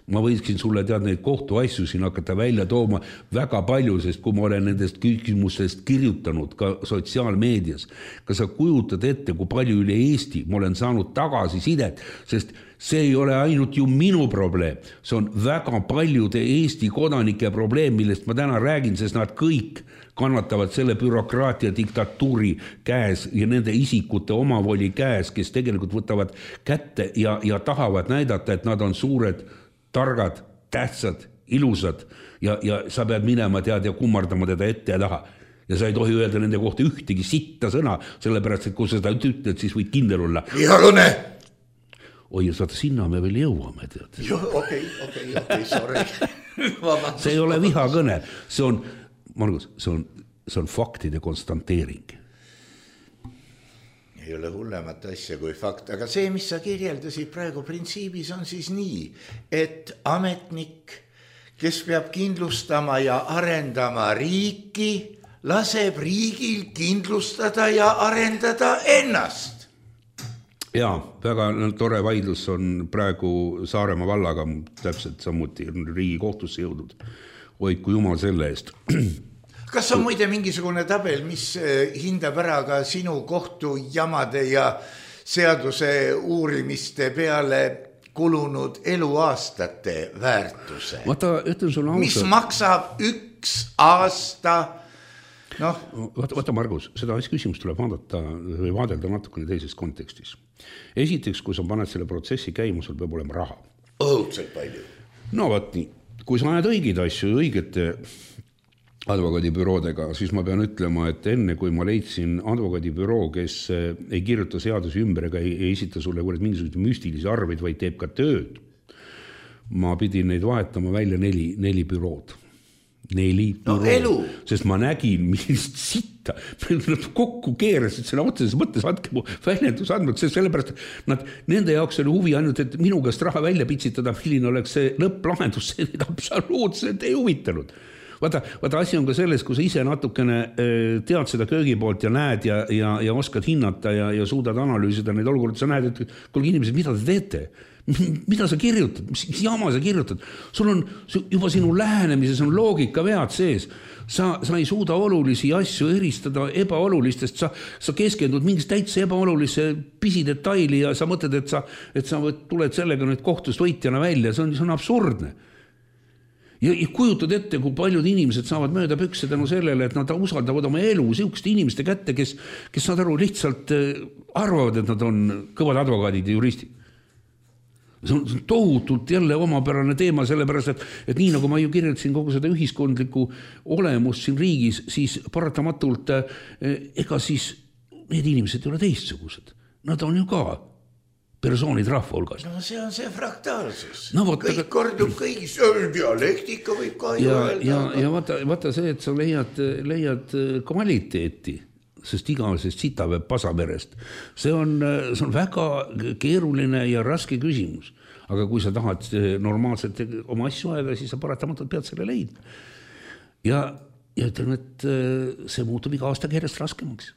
Ma võiksin sulle neid kohtuasju siin hakata välja tooma väga palju, sest kui ma olen nendest küsimustest kirjutanud ka sotsiaalmeedias, ka sa kujutad ette, kui palju üle Eesti ma olen saanud tagasisidet, sest see ei ole ainult ju minu probleem, see on väga paljude Eesti kodanike probleem, millest ma täna räägin, sest nad kõik kannatavad selle bürokraatia diktatuuri käes ja nende isikute omavoli käes, kes tegelikult võtavad kätte ja tahavad näidata, et nad on suured, targad, tähtsad, ilusad ja sa pead minema ja kummardama teda ette ja taha. Ja sa ei tohi öelda nende kohta ühtegi sitta sõna, sellepärast, et kui sa seda ütled, siis võid kindel olla. Vihakõne! Oi, saada sinna me veel jõuame, tead. Okei, sorry. See ei ole vihakõne, see on, Margus, see on faktide konstanteering. Ei ole hullemat asja kui fakt, aga see, mis sa kirjeldasid praegu printsiibis on siis nii, et ametnik, kes peab kindlustama ja arendama riiki, laseb riigil kindlustada ja arendada ennast. Jaa, väga tore vaidlus on praegu Saaremaa vallaga täpselt samuti Riigikohtusse jõudnud. Hoidku jumal selle eest. Kas on muide mingisugune tabel, mis hindab ära ka sinu kohtujamade ja seaduse uurimiste peale kulunud eluaastate väärtuse? Ütlen sulle ausalt. Mis maksab üks aasta? Vaata Margus, seda küsimust tuleb vaadelda natukene teises kontekstis. Esiteks, kui sa paned selle protsessi käima, sul peab olema raha. Õudselt palju. No vaat nii, kui sa ajad õigeid asju õigete advokaadibüroodega, siis ma pean ütlema, et enne kui ma leidsin advokaadibüroo, kes ei kirjuta seadusi ümber ega ei esita sulle mingisugused müstilisi arveid, vaid teeb ka tööd, ma pidin neid vahetama välja neli bürood. Sest ma nägin, millist sitta kokku keerasid selle otseses mõttes, andke mu väljendus andnud, sest sellepärast nende jaoks oli huvi ainult, et minu käest raha välja pitsitada, milline oleks see lõpplahendus, see absoluutselt ei huvitanud. Vaata, asi on ka selles, kui sa ise natukene tead seda köögi poolt ja näed ja oskad hinnata ja suudad analüüsida neid olukorda, sa näed, et kuulge inimesed, mida te teete? Mida sa kirjutad? Mis jama sa kirjutad? Sul on juba sinu lähenemises on loogika vead sees. Sa ei suuda olulisi asju eristada ebaolulistest, sa keskendud mingist täitsa ebaolulise pisidetaili ja sa mõtled, et sa tuled sellega nüüd kohtust võitjana välja, see on absurdne. Ja kujutad ette, kui paljud inimesed saavad mööda pükse tänu sellele, et nad usaldavad oma elu siukeste inimeste kätte, kes saad aru lihtsalt arvavad, et nad on kõvad advokaadid ja juristid. See on tohutult jälle omapärane teema, sellepärast, et nii nagu ma ju kirjeldasin kogu seda ühiskondlikku olemust siin riigis, siis paratamatult ega siis need inimesed ei ole teistsugused. Nad on ju ka persoonid rahva hulgas. No see on see fraktaalsus. Kõik kordub kõigis, dialektika võib ka ju öelda. Ja vaata see, et sa leiad kvaliteeti, sest igavesest sitapäev pasamerest. See on väga keeruline ja raske küsimus. Aga kui sa tahad normaalselt oma asju ajada, siis sa paratamatult pead selle leidma. Ja ütlen, et see muutub iga aastaga järjest raskemaks.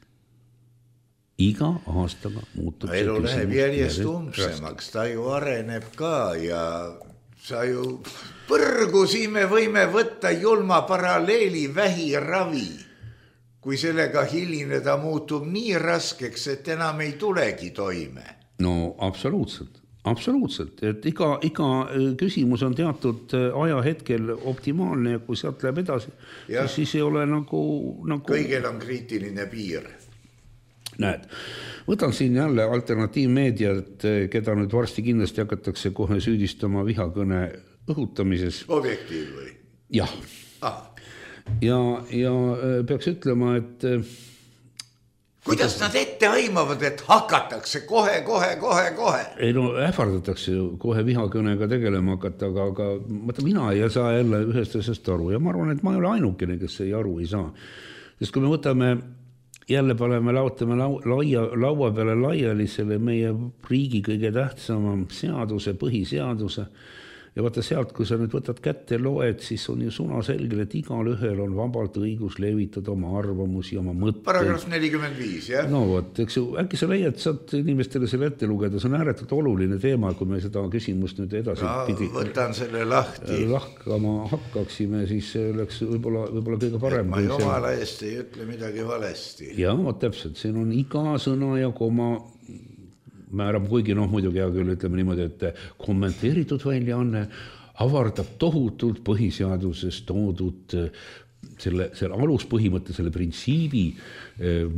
Iga aastaga muutub see elu läheb järjest umbsemaks, ta ju areneb ka ja sa ju põrgu siin me võime võtta julma paralleeli vähiravi. Kui sellega hilineda muutub nii raskeks, et enam ei tulegi toime. No absoluutselt, et iga küsimus on teatud ajahetkel optimaalne ja kui sealt läheb edasi, siis ei ole nagu... Kõigel on kriitiline piir. Näed, võtan siin jälle alternatiivmeediat, keda nüüd varsti kindlasti hakatakse kohe süüdistama vihakõne õhutamises. Objektiiv või? Jah. Ja peaks ütlema, et... Kuidas nad ette aimavad, et hakatakse kohe? Ei no, ähvardatakse ju kohe vihakõnega tegelema hakata, aga mina ei saa jälle ühest asjast aru ja ma arvan, et ma ei ole ainukene, kes ei aru ei saa. Sest kui me võtame, jälle laotame laua peale laiali selle meie riigi kõige tähtsama seaduse, põhiseaduse ja vaata sealt, kui sa nüüd võtad kätte loed, siis on ju sunaselgel, et igal ühel on vabalt õigus levitada oma arvamusi, oma mõtteid. Paragrahv 45, jah? No vot, eks ju, äkki sa leiad, saad inimestele selle ette lugeda, see on ääretult oluline teema, kui me seda küsimust nüüd edasi pidi võtan selle lahti. Lahkama hakkaksime, siis oleks võib-olla kõige parem. Ma jumala eest ei ütle midagi valesti. Ja, täpselt, siin on iga sõna ja koma määrab, kuigi muidugi hea küll ütleme niimoodi, et kommenteeritud väljaanne avardab tohutult põhiseaduses toodud selle aluspõhimõtte, selle printsiibi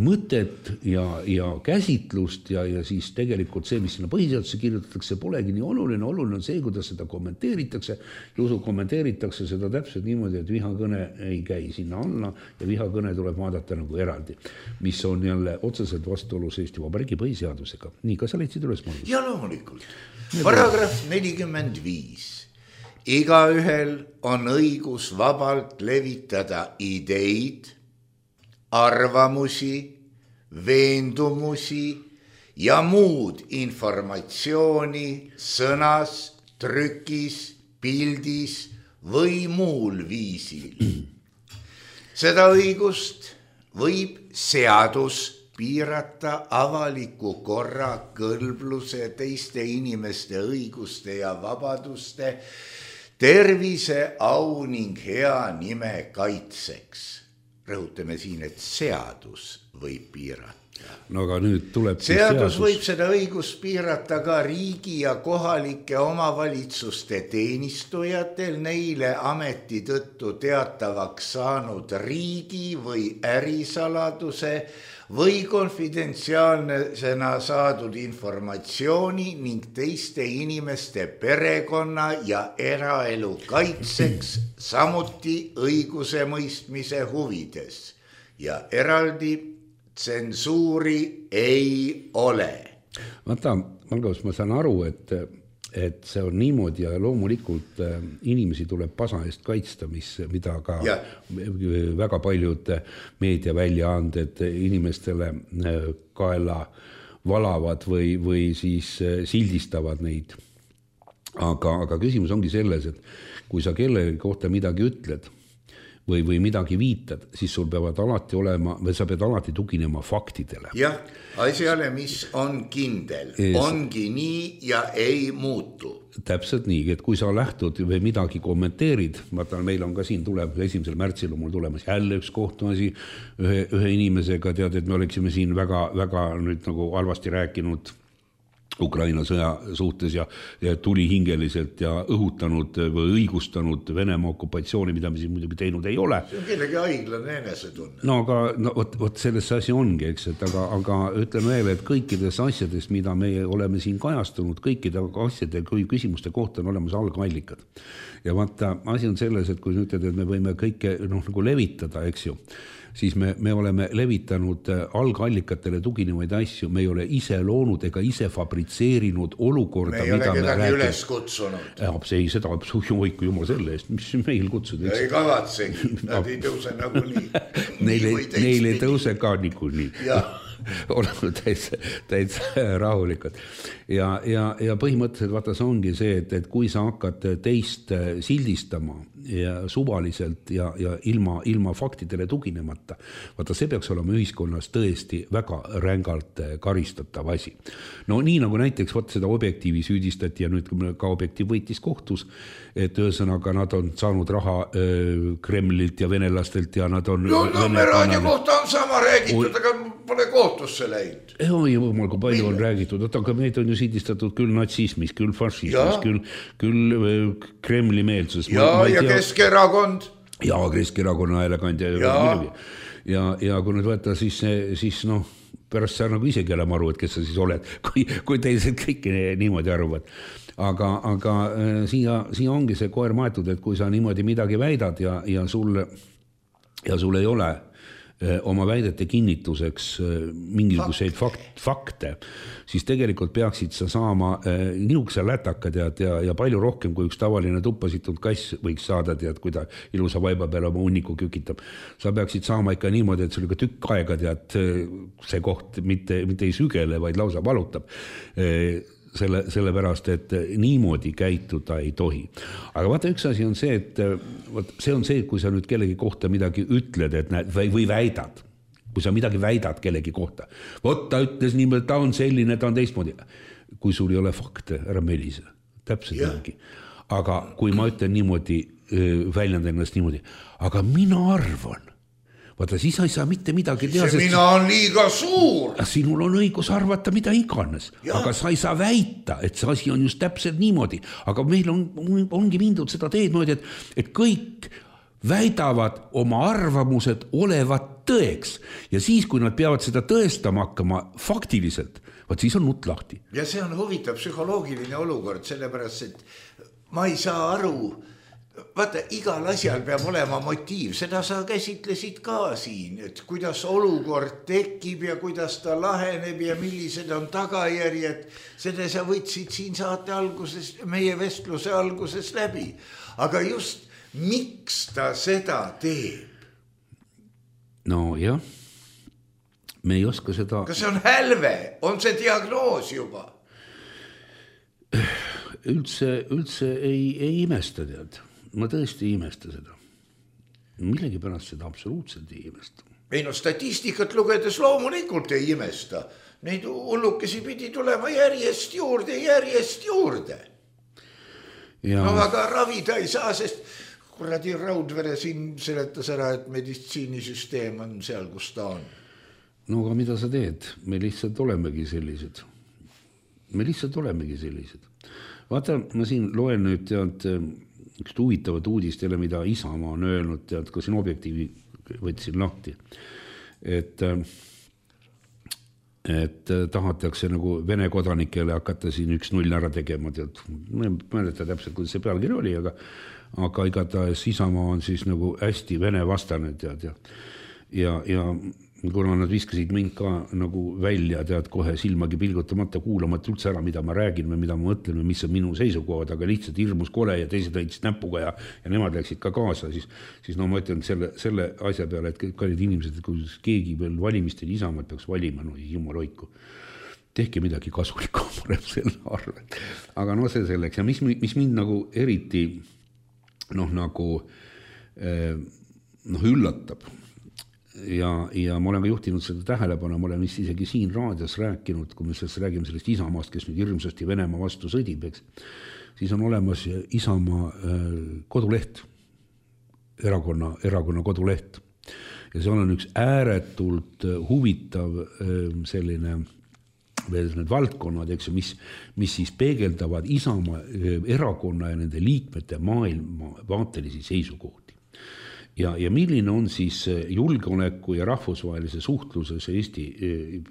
mõtet ja käsitlust ja siis tegelikult see, mis sinna põhiseaduse kirjutatakse, polegi nii oluline on see, kuidas seda kommenteeritakse. Jusu kommenteeritakse seda täpselt niimoodi, et vihakõne ei käi sinna alla ja vihakõne tuleb vaadata nagu eraldi, mis on jälle otseselt vastuolus Eesti Vabariigi põhiseadusega. Nii, kas sa leidsid üles mõelda? Ja loomulikult. Paragrahv 45. Igaühel on õigus vabalt levitada ideid, arvamusi, veendumusi ja muud informatsiooni sõnas, trükis, pildis või muul viisil. Seda õigust võib seadus piirata avaliku korra, kõlbluse, teiste inimeste õiguste ja vabaduste, tervise, au ning hea nime kaitseks. Rõhutame siin, et seadus võib piirata. No aga nüüd tuleb seadus võib seda õigust piirata ka riigi ja kohalike omavalitsuste teenistujatel neile ameti tõttu teatavaks saanud riigi või ärisaladuse või konfidentsiaalsena saadud informatsiooni ning teiste inimeste perekonna ja eraelu kaitseks, samuti õiguse mõistmise huvides ja eraldi tsensuuri ei ole. Vaata, Margus, ma saan aru, et see on niimoodi ja loomulikult inimesi tuleb pasa eest kaitsta, mida ka väga paljud meediaväljaanded inimestele kaela valavad või siis sildistavad neid. Aga küsimus ongi selles, et kui sa kellegi kohta midagi ütled või midagi viitad, siis sul peavad alati olema, või sa pead alati tuginema faktidele. Jah, asjale, mis on kindel, ongi nii ja ei muutu. Täpselt nii, et kui sa lähtud või midagi kommenteerid, vaata, meil on ka siin tuleb 1. märtsil on mul tulemas jälle üks kohtumasi ühe inimesega, tead, et me oleksime siin väga nüüd nagu halvasti rääkinud Ukraina sõja suhtes ja tulihingeliselt ja õhutanud või õigustanud Venemaa okupatsiooni, mida me siin muidugi teinud ei ole. See on kellegi õiglane enesetunne. No aga võt selles asi ongi, eks, et aga ütleme veel, et kõikides asjadest, mida me oleme siin kajastunud, kõikide asjade kui küsimuste kohta on olemas algallikad. Ja vaata, asi on selles, et kui ütled, et me võime kõike nagu levitada, eks ju, siis me oleme levitanud algallikatele tuginevaid asju, me ei ole ise loonud ega ise fabritseerinud olukorda, me ei ole kedagi üles kutsunud. Ei, seda hoiku jumal selle eest, mis meil kutsuda. Ei kavatsegi, nad ei tõuse nagu nii. Neil ei tõuse ka niikuinii. Oleme täitsa rahulikud. Ja põhimõtteliselt vaata, see ongi see, et kui sa hakkad teist sildistama ja suvaliselt ja ilma faktidele tuginemata, vaata, see peaks olema ühiskonnas tõesti väga rängalt karistatav asi. No nii nagu näiteks seda Objektiivi süüdistati ja nüüd ka Objektiiv võitis kohtus, et ühesõnaga nad on saanud raha Kremlilt ja venelastelt ja nad on... me raadio kohta on sama räägitud, aga pole kohtusse läinud. Jumal, kui palju on räägitud, aga meid on ju süüdistatud küll natsismis, küll fašismis, küll Kremli meelsus. Ja Keskerakond. Ja Keskerakonna häälekandja. Ja kui nüüd võtta, siis pärast sa nagu isegi olema aru, et kes sa siis oled, kui teised kõik niimoodi arvad. Aga siia ongi see koer maetud, et kui sa niimoodi midagi väidad ja sul ei ole oma väidete kinnituseks mingisuguseid fakte, siis tegelikult peaksid sa saama niisuguse lätakad ja palju rohkem kui üks tavaline tuppasitud kass võiks saada, tead, kui ta ilusa vaiba peale oma hunniku kükitab. Sa peaksid saama ikka niimoodi, et sul ikka tükk aega, tead, see koht mitte ei sügele, vaid lausa valutab. sellepärast, et niimoodi käituda ei tohi. Aga vaata, üks asi on see, et see on see, kui sa nüüd kellegi kohta midagi ütled, et näed, või väidad, kui sa midagi väidad kellegi kohta. Vot ta ütles niimoodi, ta on selline, ta on teistmoodi. Kui sul ei ole fakte, ära melise. Täpselt niimoodi. Aga kui ma ütlen niimoodi, väljendan ennast niimoodi, aga mina arvan, vaata, siis ei saa mitte midagi teha. See mina on liiga suur. Sinul on õigus arvata mida iganes, aga sa ei saa väita, et see asi on just täpselt niimoodi. Aga meil ongi mindud seda teed moodi, et kõik väidavad oma arvamused olevat tõeks. Ja siis, kui nad peavad seda tõestama hakkama faktiliselt, vaat siis on nutt lahti. Ja see on huvitav psühholoogiline olukord, sellepärast, et ma ei saa aru. Vaata, igal asjal peab olema motiiv, seda sa käsitlesid ka siin, et kuidas olukord tekib ja kuidas ta laheneb ja millised on tagajärjed. Seda sa võtsid siin saate alguses, meie vestluse alguses läbi. Aga just, miks ta seda teeb? No jah, me ei oska seda... Kas see on hälve? On see diagnoos juba? Üldse ei imesta tead. Ma tõesti ei imesta seda. Millegi pärast seda absoluutselt ei imesta. Ei no statistikat lugedes loomulikult ei imesta. Neid hullukesi pidi tulema järjest juurde. Ja... No aga ravida ei saa, sest kuradi Raudvere siin seletas ära, et meditsiinisüsteem on seal, kus ta on. No aga mida sa teed? Me lihtsalt olemegi sellised. Vaata, ma siin loen nüüd tead... üks huvitavat uudist jälle, mida Isamaa on öelnud, tead, kui siin objektiivi võtsin lahti, et tahatakse nagu Vene kodanikele hakata siin 1-0 ära tegema, tead, ma ei mäleta täpselt, kuidas see pealkiri oli, aga igatahes Isamaa on siis nagu hästi Vene vastane, tead, ja kuna nad viskasid mind ka nagu välja, tead, kohe silmagi pilgutamata kuulamata üldse ära, mida ma räägin või mida ma mõtlen või mis on minu seisukohad, aga lihtsalt hirmus kole ja teised õitsid näpuga ja nemad läksid ka kaasa, siis no ma ütlen selle asja peale, et kallid inimesed, et kui keegi veel valimistel Isamaad peaks valima, no jumal hoiku, tehke midagi kasulikku selle arvel. Aga no see selleks ja mis mind nagu eriti üllatab, ja ma olen ka juhtinud seda tähelepanu, ma olen vist isegi siin raadios rääkinud, kui me räägime sellest Isamaast, kes nüüd hirmsasti Venemaa vastu sõdib, eks, siis on olemas Isamaa koduleht, erakonna koduleht. Ja see on üks ääretult huvitav selline veel need valdkonnad, eks, mis siis peegeldavad Isamaa erakonna ja nende liikmete maailma vaatelisi seisukohti. Ja milline on siis julgeoleku ja rahvusvahelise suhtluses Eesti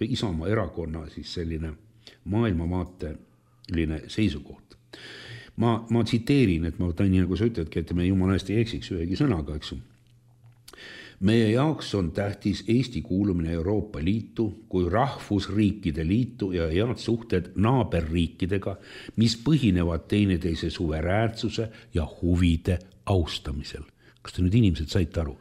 Isamaa erakonna siis selline maailmavaateline seisukoht. Ma tsiteerin, et ma võtan nii nagu sa ütledki, et me jumala eest ei eksiks ühegi sõnaga, eks. Meie jaoks on tähtis Eesti kuulumine Euroopa Liitu kui rahvusriikide liitu ja head suhted naaberriikidega, mis põhinevad teineteise suveräänsuse ja huvide austamisel. Kas te nüüd inimesed saite aru?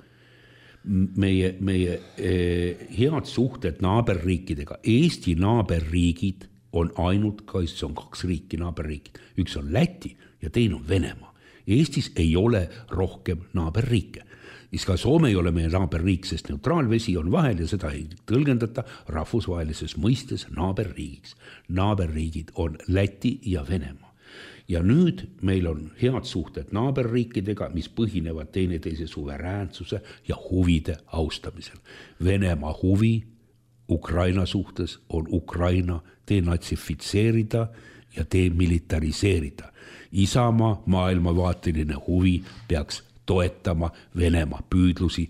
Meie head suhted naaberriikidega. Eesti naaberriigid on ainult, see on 2 riiki naaberriigid. Üks on Läti ja teine on Venemaa. Eestis ei ole rohkem naaberriike. Ka Soome ei ole meie naaberriik, sest neutraalvesi on vahel ja seda ei tõlgendata rahvusvahelises mõistes naaberriigiks. Naaberriigid on Läti ja Venemaa. Ja nüüd meil on head suhted naaberriikidega, mis põhinevad teineteise suveräänsuse ja huvide austamisel. Venemaa huvi Ukraina suhtes on Ukraina denatsifitseerida ja demilitariseerida. Isamaa maailmavaateline huvi peaks toetama Venemaa püüdlusi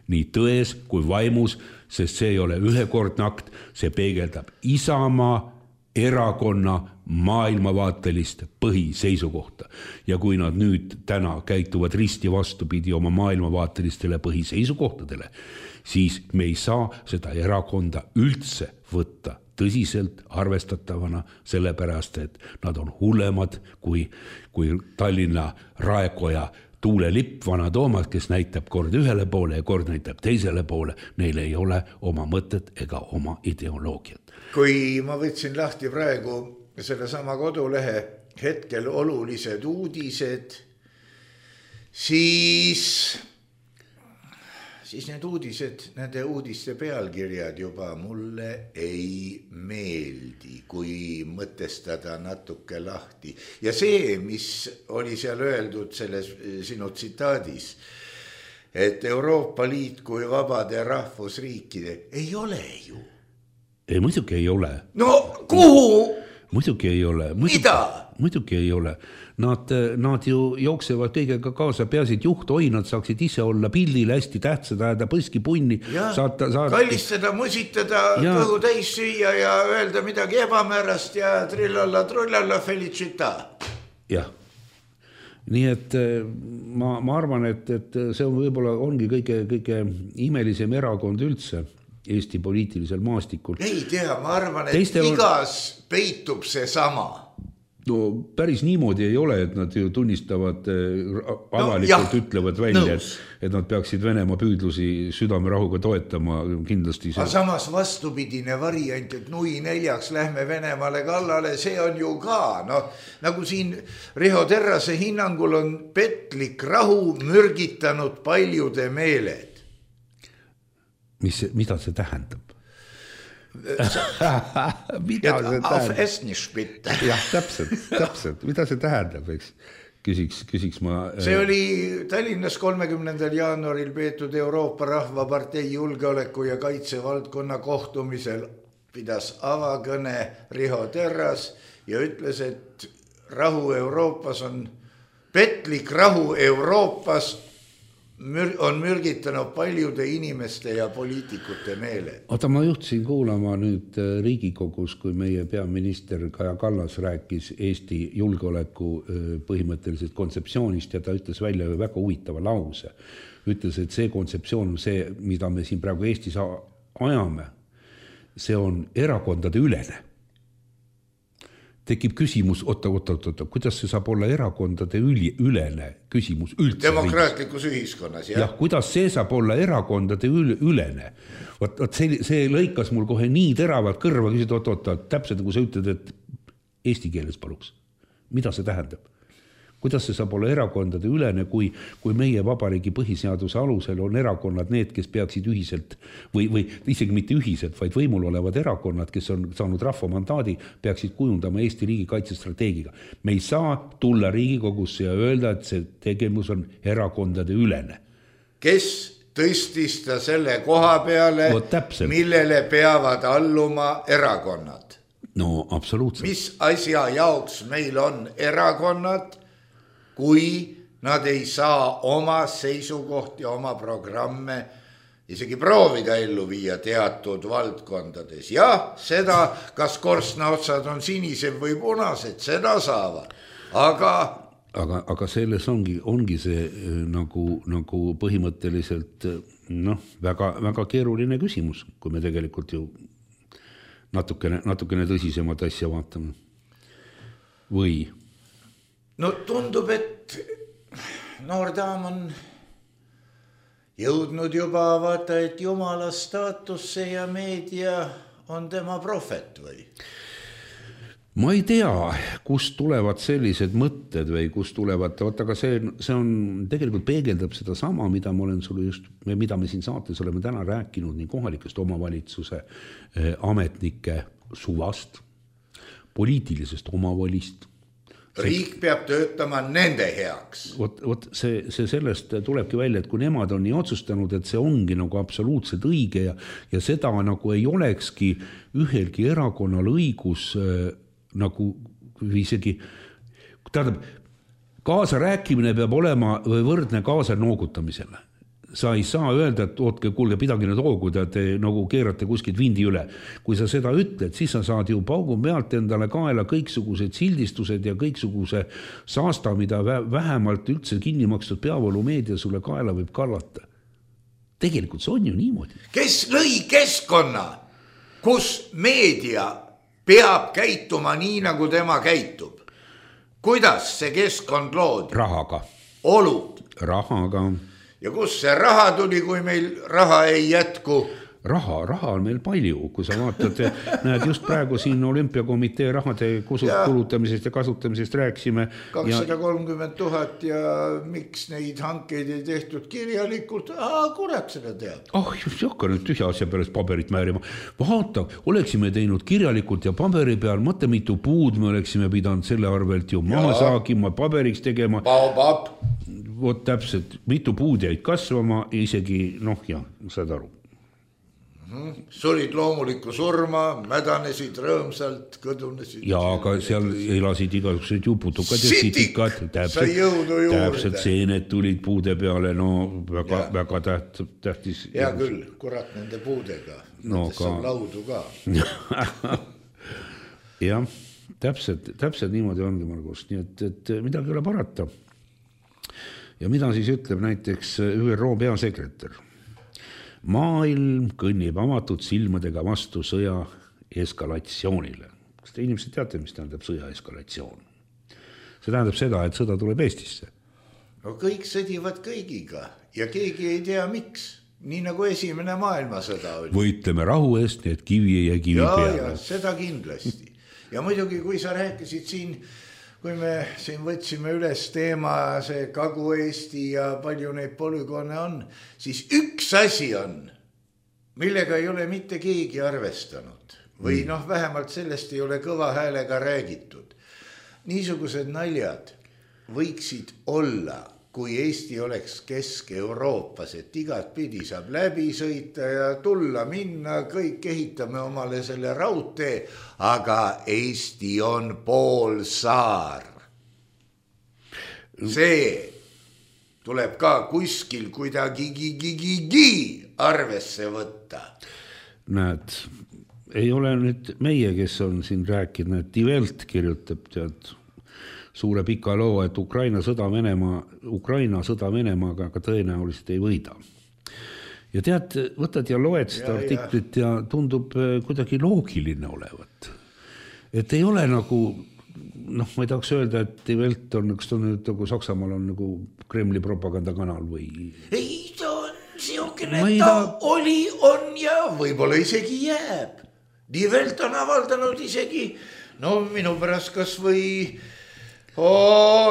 nii tões kui vaimus, sest see ei ole ühekordne akt, see peegeldab Isamaa erakonna maailmavaatelist põhiseisukohta. Ja kui nad nüüd täna käituvad risti vastupidi oma maailmavaatelistele põhiseisukohtadele, siis me ei saa seda erakonda üldse võtta tõsiselt arvestatavana, sellepärast, et nad on hullemad kui Tallinna Raekoja tuulelipp, vana Toomad, kes näitab kord ühele poole ja kord näitab teisele poole. Neil ei ole oma mõtet ega oma ideoloogiat. Kui ma võtsin lahti praegu selle sama kodulehe hetkel olulised uudised, siis need uudised, nende uudiste pealkirjad juba mulle ei meeldi, kui mõtestada natuke lahti. Ja see, mis oli seal öeldud selles sinu tsitaadis, et Euroopa Liit kui vabade rahvusriikide ei ole ju. Ei, muidugi ei ole. No kuhu? Muidugi ei ole. Muidugi ei ole. Nad ju jooksevad kõigega kaasa, peasid juhtoinad saaksid ise olla pildil hästi tähtsad, ajada põskipunni. Kallistada, musitada, kõhu täis süüa ja öelda midagi ebamäärast ja trullalla felicita. Jah. Nii et ma arvan, et see on võib-olla ongi kõige imelisem erakond üldse Eesti poliitilisel maastikul. Ei tea, ma arvan, et igas peitub see sama. No päris niimoodi ei ole, et nad ju tunnistavad avalikult ütlevad välja, et nad peaksid Venemaa püüdlusi südamerahuga toetama kindlasti. Aga samas vastupidine variant, et nui 4 lähme Venemaale kallale, see on ju ka. No, nagu siin Riho Terrase hinnangul on petlik rahu mürgitanud paljude meeled. Mida see tähendab? Auf es nicht bitte. Jah, täpselt. Mida see tähendab, eks? Küsiks ma... See oli Tallinnas 30. jaanuaril peetud Euroopa Rahvapartei julgeoleku ja kaitsevaldkonna kohtumisel pidas avakõne Riho Terras ja ütles, et rahu Euroopas on petlik rahu Euroopas on mürgitanud paljude inimeste ja poliitikute meele. Oota, ma juhtisin kuulama nüüd Riigikogus, kui meie peaminister Kaja Kallas rääkis Eesti julgeoleku põhimõttelisest kontseptsioonist ja ta ütles välja väga huvitava lause. Ütles, et see kontseptsioon on see, mida me siin praegu Eestis ajame, see on erakondade ülene. Tekib küsimus, oota, kuidas see saab olla erakondade ülene küsimus üldse? Demokraatlikus ühiskonnas, jah. Jah, kuidas see saab olla erakondade ülene? See lõikas mul kohe nii teravalt kõrva, küsid, oota, täpselt nagu sa ütled, et eesti keeles paluks. Mida see tähendab? Kuidas see saab olla erakondade ülene, kui meie vabariigi põhiseaduse alusel on erakonnad need, kes peaksid ühiselt või isegi mitte ühiselt, vaid võimul olevad erakonnad, kes on saanud rahva mandaadi, peaksid kujundama Eesti riigi kaitsestrateegiga. Me ei saa tulla Riigikogusse ja öelda, et see tegevus on erakondade ülene. Kes tõstis ta selle koha peale, millele peavad alluma erakonnad? No, absoluutselt. Mis asja jaoks meil on erakonnad, kui nad ei saa oma seisukohti, oma programme isegi proovida ellu viia teatud valdkondades. Ja seda, kas korstnaotsad on sinised või punased, seda saavad. Aga selles ongi see nagu põhimõtteliselt väga, väga keeruline küsimus, kui me tegelikult ju natukene tõsisemat asja vaatame. Või? No tundub, et noor daam on jõudnud juba vaata, et jumala staatusse ja meedia on tema profet või? Ma ei tea, kust tulevad sellised mõtted või kust tulevad, aga see on tegelikult peegeldab seda sama, mida me siin saates oleme täna rääkinud nii kohalikest omavalitsuse ametnike suvast, poliitilisest omavolist. Riik peab töötama nende heaks. Vot see sellest tulebki välja, et kui nemad on nii otsustanud, et see ongi nagu absoluutselt õige ja seda nagu ei olekski ühelgi erakonnal õigus nagu isegi, tähendab, kaasa rääkimine peab olema võrdne kaasa noogutamisele. Sa ei saa öelda, et ootke, kuulge, pidagi need hoogud, et te nagu keerate kuskilt vindi üle. Kui sa seda ütled, siis sa saad ju paugu pealt endale kaela kõiksugused sildistused ja kõiksuguse saasta, mida vähemalt üldse kinni makstud peavoolumeedia sulle kaela võib kallata. Tegelikult see on ju niimoodi. Kes lõi keskkonna, kus meedia peab käituma nii, nagu tema käitub? Kuidas see keskkond loodi? Rahaga. Olud. Rahaga. Ja kus see raha tuli, kui meil raha ei jätku? raha on meil palju, kui sa vaatad, näed just praegu siin olümpiakomitee rahade kulutamisest ja kasutamisest rääkisime. 230 000 ja miks neid hankeid ei tehtud kirjalikult, kurat seda teab. Just hakka nüüd tühja asja pärast paberit määrima. Vaata, oleksime teinud kirjalikult ja paberi peal, mõtle mitu puud me oleksime pidanud selle arvelt ju maha saagima, paberiks tegema. Vot täpselt, mitu puud jäid kasvama, isegi, saad aru. Sulid loomulikku surma, mädanesid rõõmsalt, kõdunesid. Ja, aga seal elasid igasugused juputukad ja sitikad. Täpselt seened tulid puude peale, väga tähtis. Hea küll, kurat nende puudega. Saab laudu ka. Jah, täpselt niimoodi ongi, Margus. Nii et midagi ei ole parata. Ja mida siis ütleb näiteks ÜRO peasekretär? Maailm kõnnib avatud silmadega vastu sõja eskalatsioonile. Kas te inimesed teate, mis tähendab sõja eskalatsioon? See tähendab seda, et sõda tuleb Eestisse. No kõik sõdivad kõigiga ja keegi ei tea miks. Nii nagu esimene maailmasõda oli. Võitleme rahu eest, nii et kivi ei jää kivi peale. Ja, seda kindlasti. Ja muidugi, kui sa rääkisid siin, kui me siin võtsime üles teema, see Kagu-Eesti ja palju neid polügoone on, siis üks asi on, millega ei ole mitte keegi arvestanud. Või vähemalt sellest ei ole kõva häälega räägitud. Niisugused naljad võiksid olla, kui Eesti oleks Kesk-Euroopas, et igat pidi saab läbi sõita ja tulla, minna, kõik ehitame omale selle raudtee, aga Eesti on poolsaar. See tuleb ka kuskil kuidagi arvesse võtta. Näed, ei ole nüüd meie, kes on siin rääkinud, et Die Welt kirjutab suure pika loo, et Ukraina sõda Venemaaga aga tõenäoliselt ei võida. Ja tead, võtad ja loed seda artiklit ja tundub kuidagi loogiline olevat. Et ei ole nagu, ma ei tahaks öelda, et Die Welt on, kas ta nüüd nagu Saksamaal on nagu Kremli propagandakanal või... Ei, ta on siukene, ta oli, on ja võib-olla isegi jääb. Die Welt on avaldanud isegi, minu pärast kas või...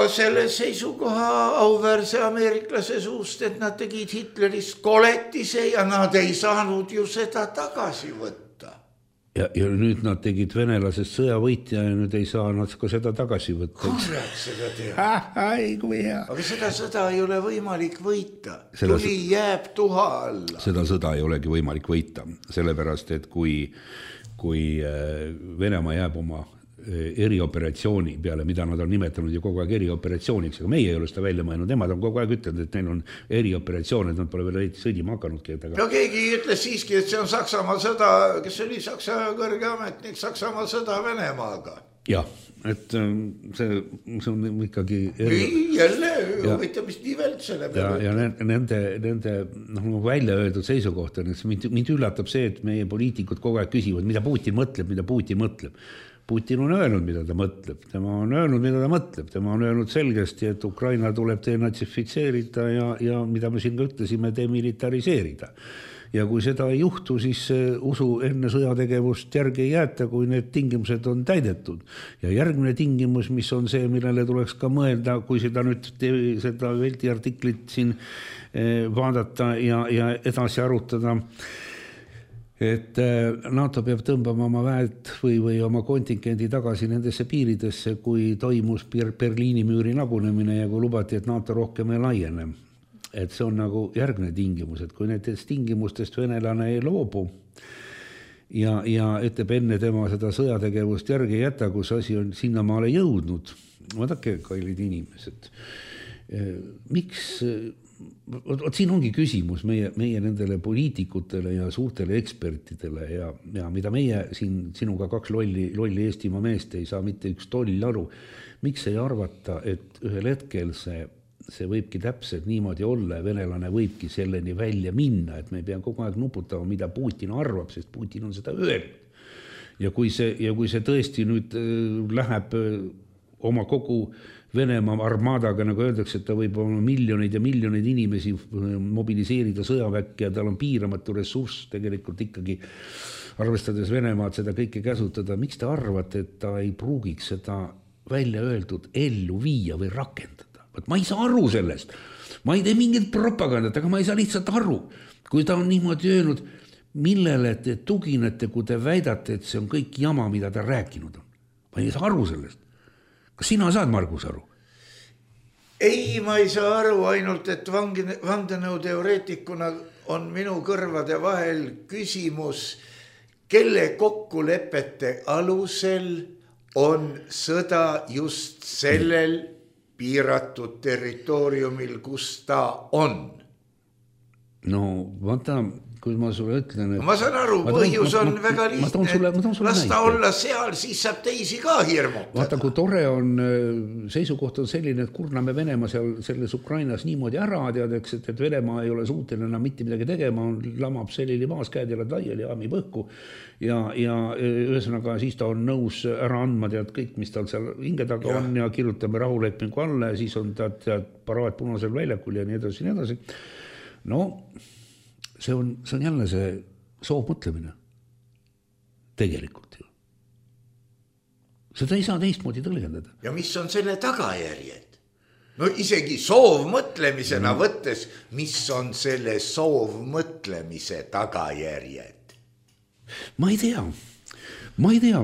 selle seisukoha auväärse ameeriklase suust, et nad tegid Hitlerist koletise ja nad ei saanud ju seda tagasi võtta. Ja nüüd nad tegid venelasest sõjavõitja ja nüüd ei saa nad ka seda tagasi võtta. Kurat seda teha. Aga seda sõda ei ole võimalik võita. Tuli jääb tuha alla. Seda sõda ei olegi võimalik võita, sellepärast, et kui Venemaa jääb oma erioperatsiooni peale, mida nad on nimetanud ju kogu aeg erioperatsiooniks, aga meie ei ole seda välja mõelnud, nemad on kogu aeg ütelnud, et neil on erioperatsioon, et nad pole veel sõdima hakanudki. No keegi ütles siiski, et see on Saksamaa sõda, kes oli Saksa kõrge ametnik, Saksamaa sõda Venemaaga. Jah, et see on ikkagi... Jälle, võita mis Die Welt selle peale. Ja nende välja öeldud seisukoht on, et mind üllatab see, et meie poliitikud kogu aeg küsivad, mida Putin mõtleb. Putin on öelnud, mida ta mõtleb. Tema on öelnud selgesti, et Ukraina tuleb denatsifitseerida ja mida me siin ka ütlesime, demilitariseerida. Ja kui seda ei juhtu, siis usu enne sõjategevust järgi ei jäeta, kui need tingimused on täidetud. Ja järgmine tingimus, mis on see, millele tuleks ka mõelda, kui seda Velti artiklit siin vaadata ja edasi arutada, et NATO peab tõmbama oma väed või oma kontingendi tagasi nendesse piiridesse, kui toimus Berliini müüri lagunemine ja kui lubati, et NATO rohkem ei laiene. Et see on nagu järgne tingimus, et kui nendest tingimustest venelane ei loobu ja ütleb enne tema seda sõjategevust järgi jätta, kus asi on sinnamaale jõudnud. Vaadake, kallid inimesed, miks... siin ongi küsimus meie nendele poliitikutele ja suurtele ekspertidele ja mida meie siin sinuga kaks lolli Eestimaa meest ei saa mitte üks toll aru. Miks ei arvata, et ühel hetkel see võibki täpselt niimoodi olla ja venelane võibki selleni välja minna, et me ei pea kogu aeg nuputama, mida Putin arvab, sest Putin on seda öelnud. Ja kui see tõesti nüüd läheb oma kogu Venemaa armaadaga, nagu öeldakse, et ta võib olla miljoneid ja miljoneid inimesi mobiliseerida sõjaväkke ja tal on piiramatu ressurss tegelikult ikkagi arvestades Venemaad seda kõike käsutada. Miks te arvate, et ta ei pruugiks seda välja öeldud ellu viia või rakendada? Ma ei saa aru sellest. Ma ei tee mingit propagandat, aga ma ei saa lihtsalt aru. Kui ta on niimoodi öelnud, millele te tuginete, kui te väidate, et see on kõik jama, mida ta rääkinud on. Ma ei saa aru sellest. Kas sina saad, Margus, aru? Ei, ma ei saa aru, ainult et vandenõuteoreetikuna on minu kõrvade vahel küsimus, kelle kokkulepete alusel on sõda just sellel piiratud territooriumil, kus ta on. No, vaata, kui ma sulle ütlen, et... Ma saan aru, põhjus on väga lihtne, las ta olla seal, siis saab teisi ka hirmutada. Vaata, kui tore on, seisukoht on selline, et kurname Venemaa seal selles Ukrainas niimoodi ära, teadeks, et Venemaa ei ole suuteline enam mitte midagi tegema, lamab selline maas, käed jalad laiali ja aami põhku ja ühesõnaga siis ta on nõus ära andma tead kõik, mis tal seal hinge taga on ja kirjutame rahulepingu alla ja siis on tead paraad punasel väljakul ja nii edasi ja nii edasi. No, see on jälle see soovmõtlemine. Tegelikult ju. Seda ei saa teistmoodi tõlgendada. Ja mis on selle tagajärjed? No isegi soovmõtlemisena võttes, mis on selle soovmõtlemise tagajärjed? Ma ei tea,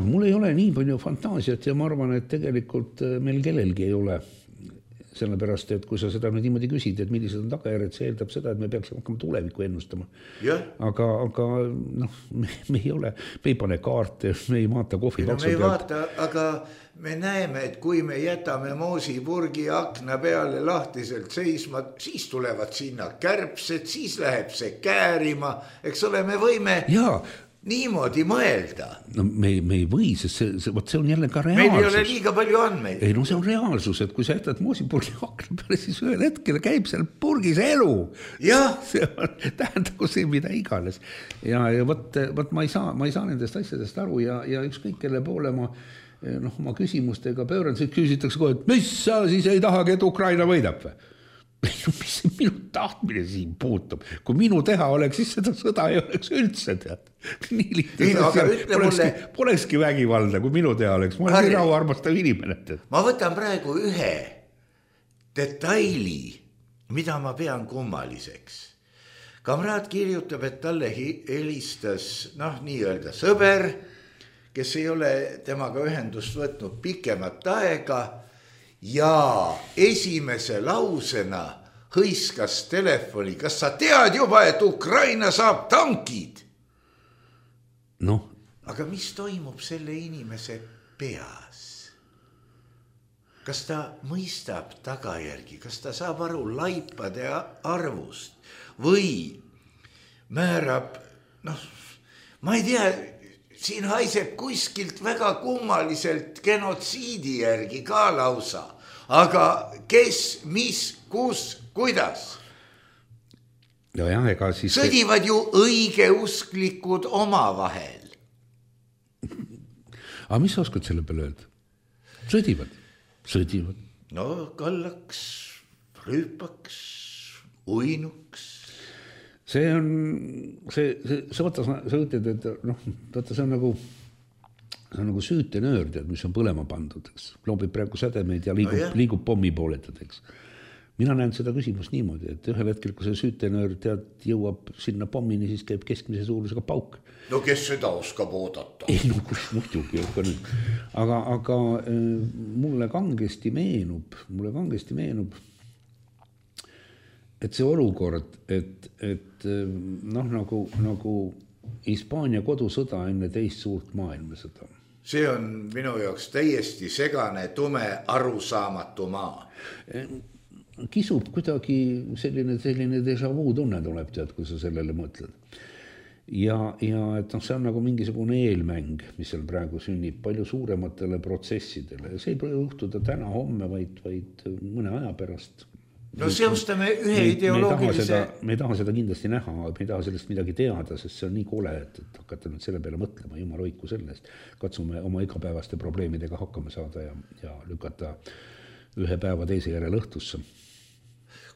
mul ei ole nii palju fantaasiat ja ma arvan, et tegelikult meil kellelgi ei ole. Sellepärast, et kui sa seda niimoodi küsid, et millised on tagajärjed, see eeldab seda, et me peaksime hakkama tulevikku ennustama. Aga noh, me ei pane kaarte, me ei vaata kohvi paksu pealt. Me ei vaata, aga me näeme, et kui me jätame moosipurgi akna peale lahtiselt seisma, siis tulevad sinna kärbsed, siis läheb see käärima, eks ole, me võime... Jaa. Niimoodi mõelda. No me ei või, sest see on jälle ka reaalsus. Meil ei ole liiga palju andmeid. Ei, no see on reaalsus, et kui sa jätad moosipurgi akna peale, siis ühel hetkel käib seal purgis elu. Jah. See on tähendagu see, mida iganes. Ja võt ma ei saa nendest asjadest aru ja ükskõik kelle poole ma küsimustega pööran, siis küsitakse kohe, et mis sa siis ei tahagi, et Ukraina võidab või? Mis minu tahtmine siin puutub? Kui minu teha oleks, siis seda sõda ei oleks üldse tead. Nii lihtne. Polekski vägivalda, kui minu teha oleks. Ma olen nii rahuarmastav inimene. Ma võtan praegu ühe detaili, mida ma pean kummaliseks. Kamraad kirjutab, et talle helistas, nii-öelda sõber, kes ei ole temaga ühendust võtnud pikemat aega, ja esimese lausena hõiskas telefoni. Kas sa tead juba, et Ukraina saab tankid? No. Aga mis toimub selle inimese peas? Kas ta mõistab tagajärgi? Kas ta saab aru laipade arvust? Või määrab, ma ei tea, siin haiseb kuskilt väga kummaliselt genotsiidi järgi ka lausa. Aga kes, mis, kus, kuidas? Ega siis... Sõdivad ju õigeusklikud omavahel. Aga mis sa oskad selle peale öelda? Sõdivad. No kallaks, rüüpaks, uinuks. See on, sa ütled, et see on nagu süütenöör, mis on põlema pandud, eks. Loobib praegu sädemeid ja liigub pommi pooletad, Mina näen seda küsimust niimoodi, et ühel hetkel, kui see süütenöör jõuab sinna pommini, siis käib keskmise suurusega pauk. No kes seda oskab oodata? Ei, muidugi. Aga mulle kangesti meenub, et see olukord, et nagu Hispaania kodusõda enne teist suurt maailmasõda. See on minu jaoks täiesti segane, tume, arusaamatu maa. Kisub kuidagi selline déjà vu tunne tuleb, tead, kui sa sellele mõtled. Ja et see on nagu mingisugune eelmäng, mis seal praegu sünnib palju suurematele protsessidele. See ei pole juhtuda täna, homme, vaid mõne aja pärast. No seostame ühe ideoloogilise... Me ei taha seda kindlasti näha, me ei taha sellest midagi teada, sest see on nii kole, et hakata nüüd selle peale mõtlema, jumal hoiku sellest. Katsume oma igapäevaste probleemidega hakkama saada ja lükata ühe päeva teise järel õhtusse.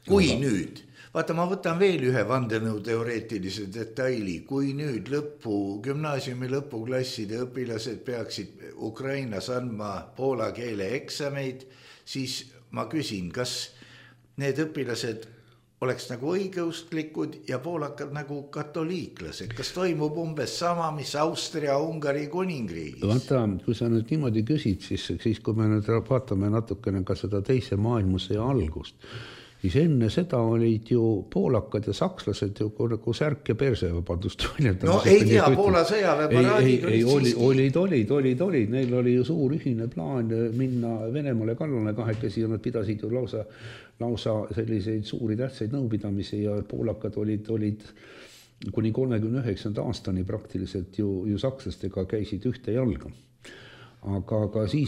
Kui nüüd, vaata ma võtan veel ühe vandenõuteoreetilise detaili, kui nüüd gümnaasiumi lõpuklasside õpilased peaksid Ukrainas andma poola keele eksameid, siis ma küsin, kas need õpilased oleks nagu õigeusklikud ja poolakad nagu katoliiklased. Kas toimub umbes sama, mis Austria-Ungari kuningriigis? Vaata, kui sa nüüd niimoodi küsid, siis kui me nüüd vaatame natukene ka seda teise maailmasõja algust, siis enne seda olid ju poolakad ja sakslased ju nagu särk ja perse, vabandust. No ei tea, Poola sõjaväeparaadid olid. Neil oli ju suur ühine plaan minna Venemaale kallale kahekesi ja nad pidasid ju lausa selliseid suuri tähtsaid nõupidamisi ja poolakad olid kuni 39. aastani praktiliselt ju sakslastega käisid ühte jalga. Aga siis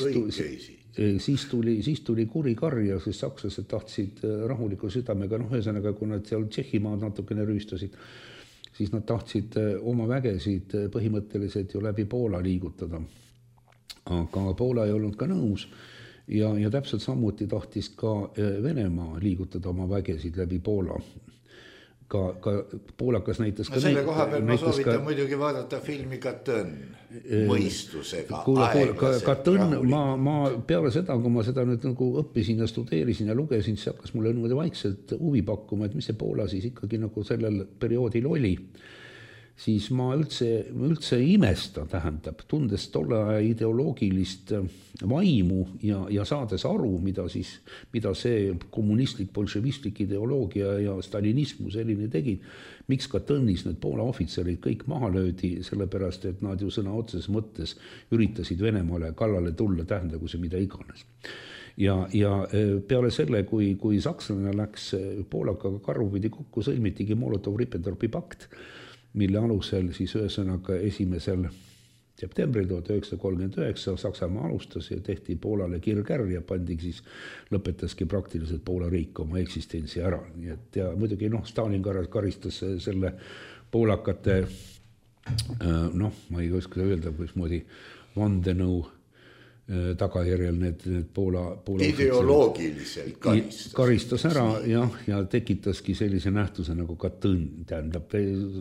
tuli kuri karja, sest sakslased tahtsid rahuliku südamega, ühesõnaga, kui nad seal Tšehhimaad natukene rüüstasid, siis nad tahtsid oma vägesid põhimõtteliselt ju läbi Poola liigutada. Aga Poola ei olnud ka nõus ja täpselt samuti tahtis ka Venemaa liigutada oma vägesid läbi Poola. Ka poolakas näitas ka... selle koha peal ma soovitan muidugi vaadata filmi Katõnn mõistusega. Katõnn, ma peale seda, kui ma seda nüüd nagu õppisin ja studeerisin ja lugesin, siis hakkas mulle niimoodi vaikselt huvi pakkuma, et mis see Poola siis ikkagi nagu sellel perioodil oli. Siis ma üldse imesta, tähendab, tundes tolle aja ideoloogilist vaimu ja saades aru, mida see kommunistlik, bolševistlik ideoloogia ja stalinismu selline tegid, miks ka Tõnnis need Poola ohvitserid kõik maha löödi, sellepärast, et nad ju sõna otseses mõttes üritasid Venemaale kallale tulla, tähendagu see mida iganes. Ja peale selle, kui sakslane läks Poolakaga karupidi kokku, sõlmitigi Molotov-Ribbentropi pakt, mille alusel siis ühesõnaga 1. septembril 1939 Saksamaa alustas ja tehti Poolale kirgärr ja siis lõpetaski praktiliselt Poola riik oma eksistentsi ära. Ja muidugi Stalin karistas selle poolakate, ma ei oska öelda, mismoodi vandenõu tagajärjel need Poola ideoloogiliselt karistas ära ja tekitaski sellise nähtuse nagu Katõnn, tähendab,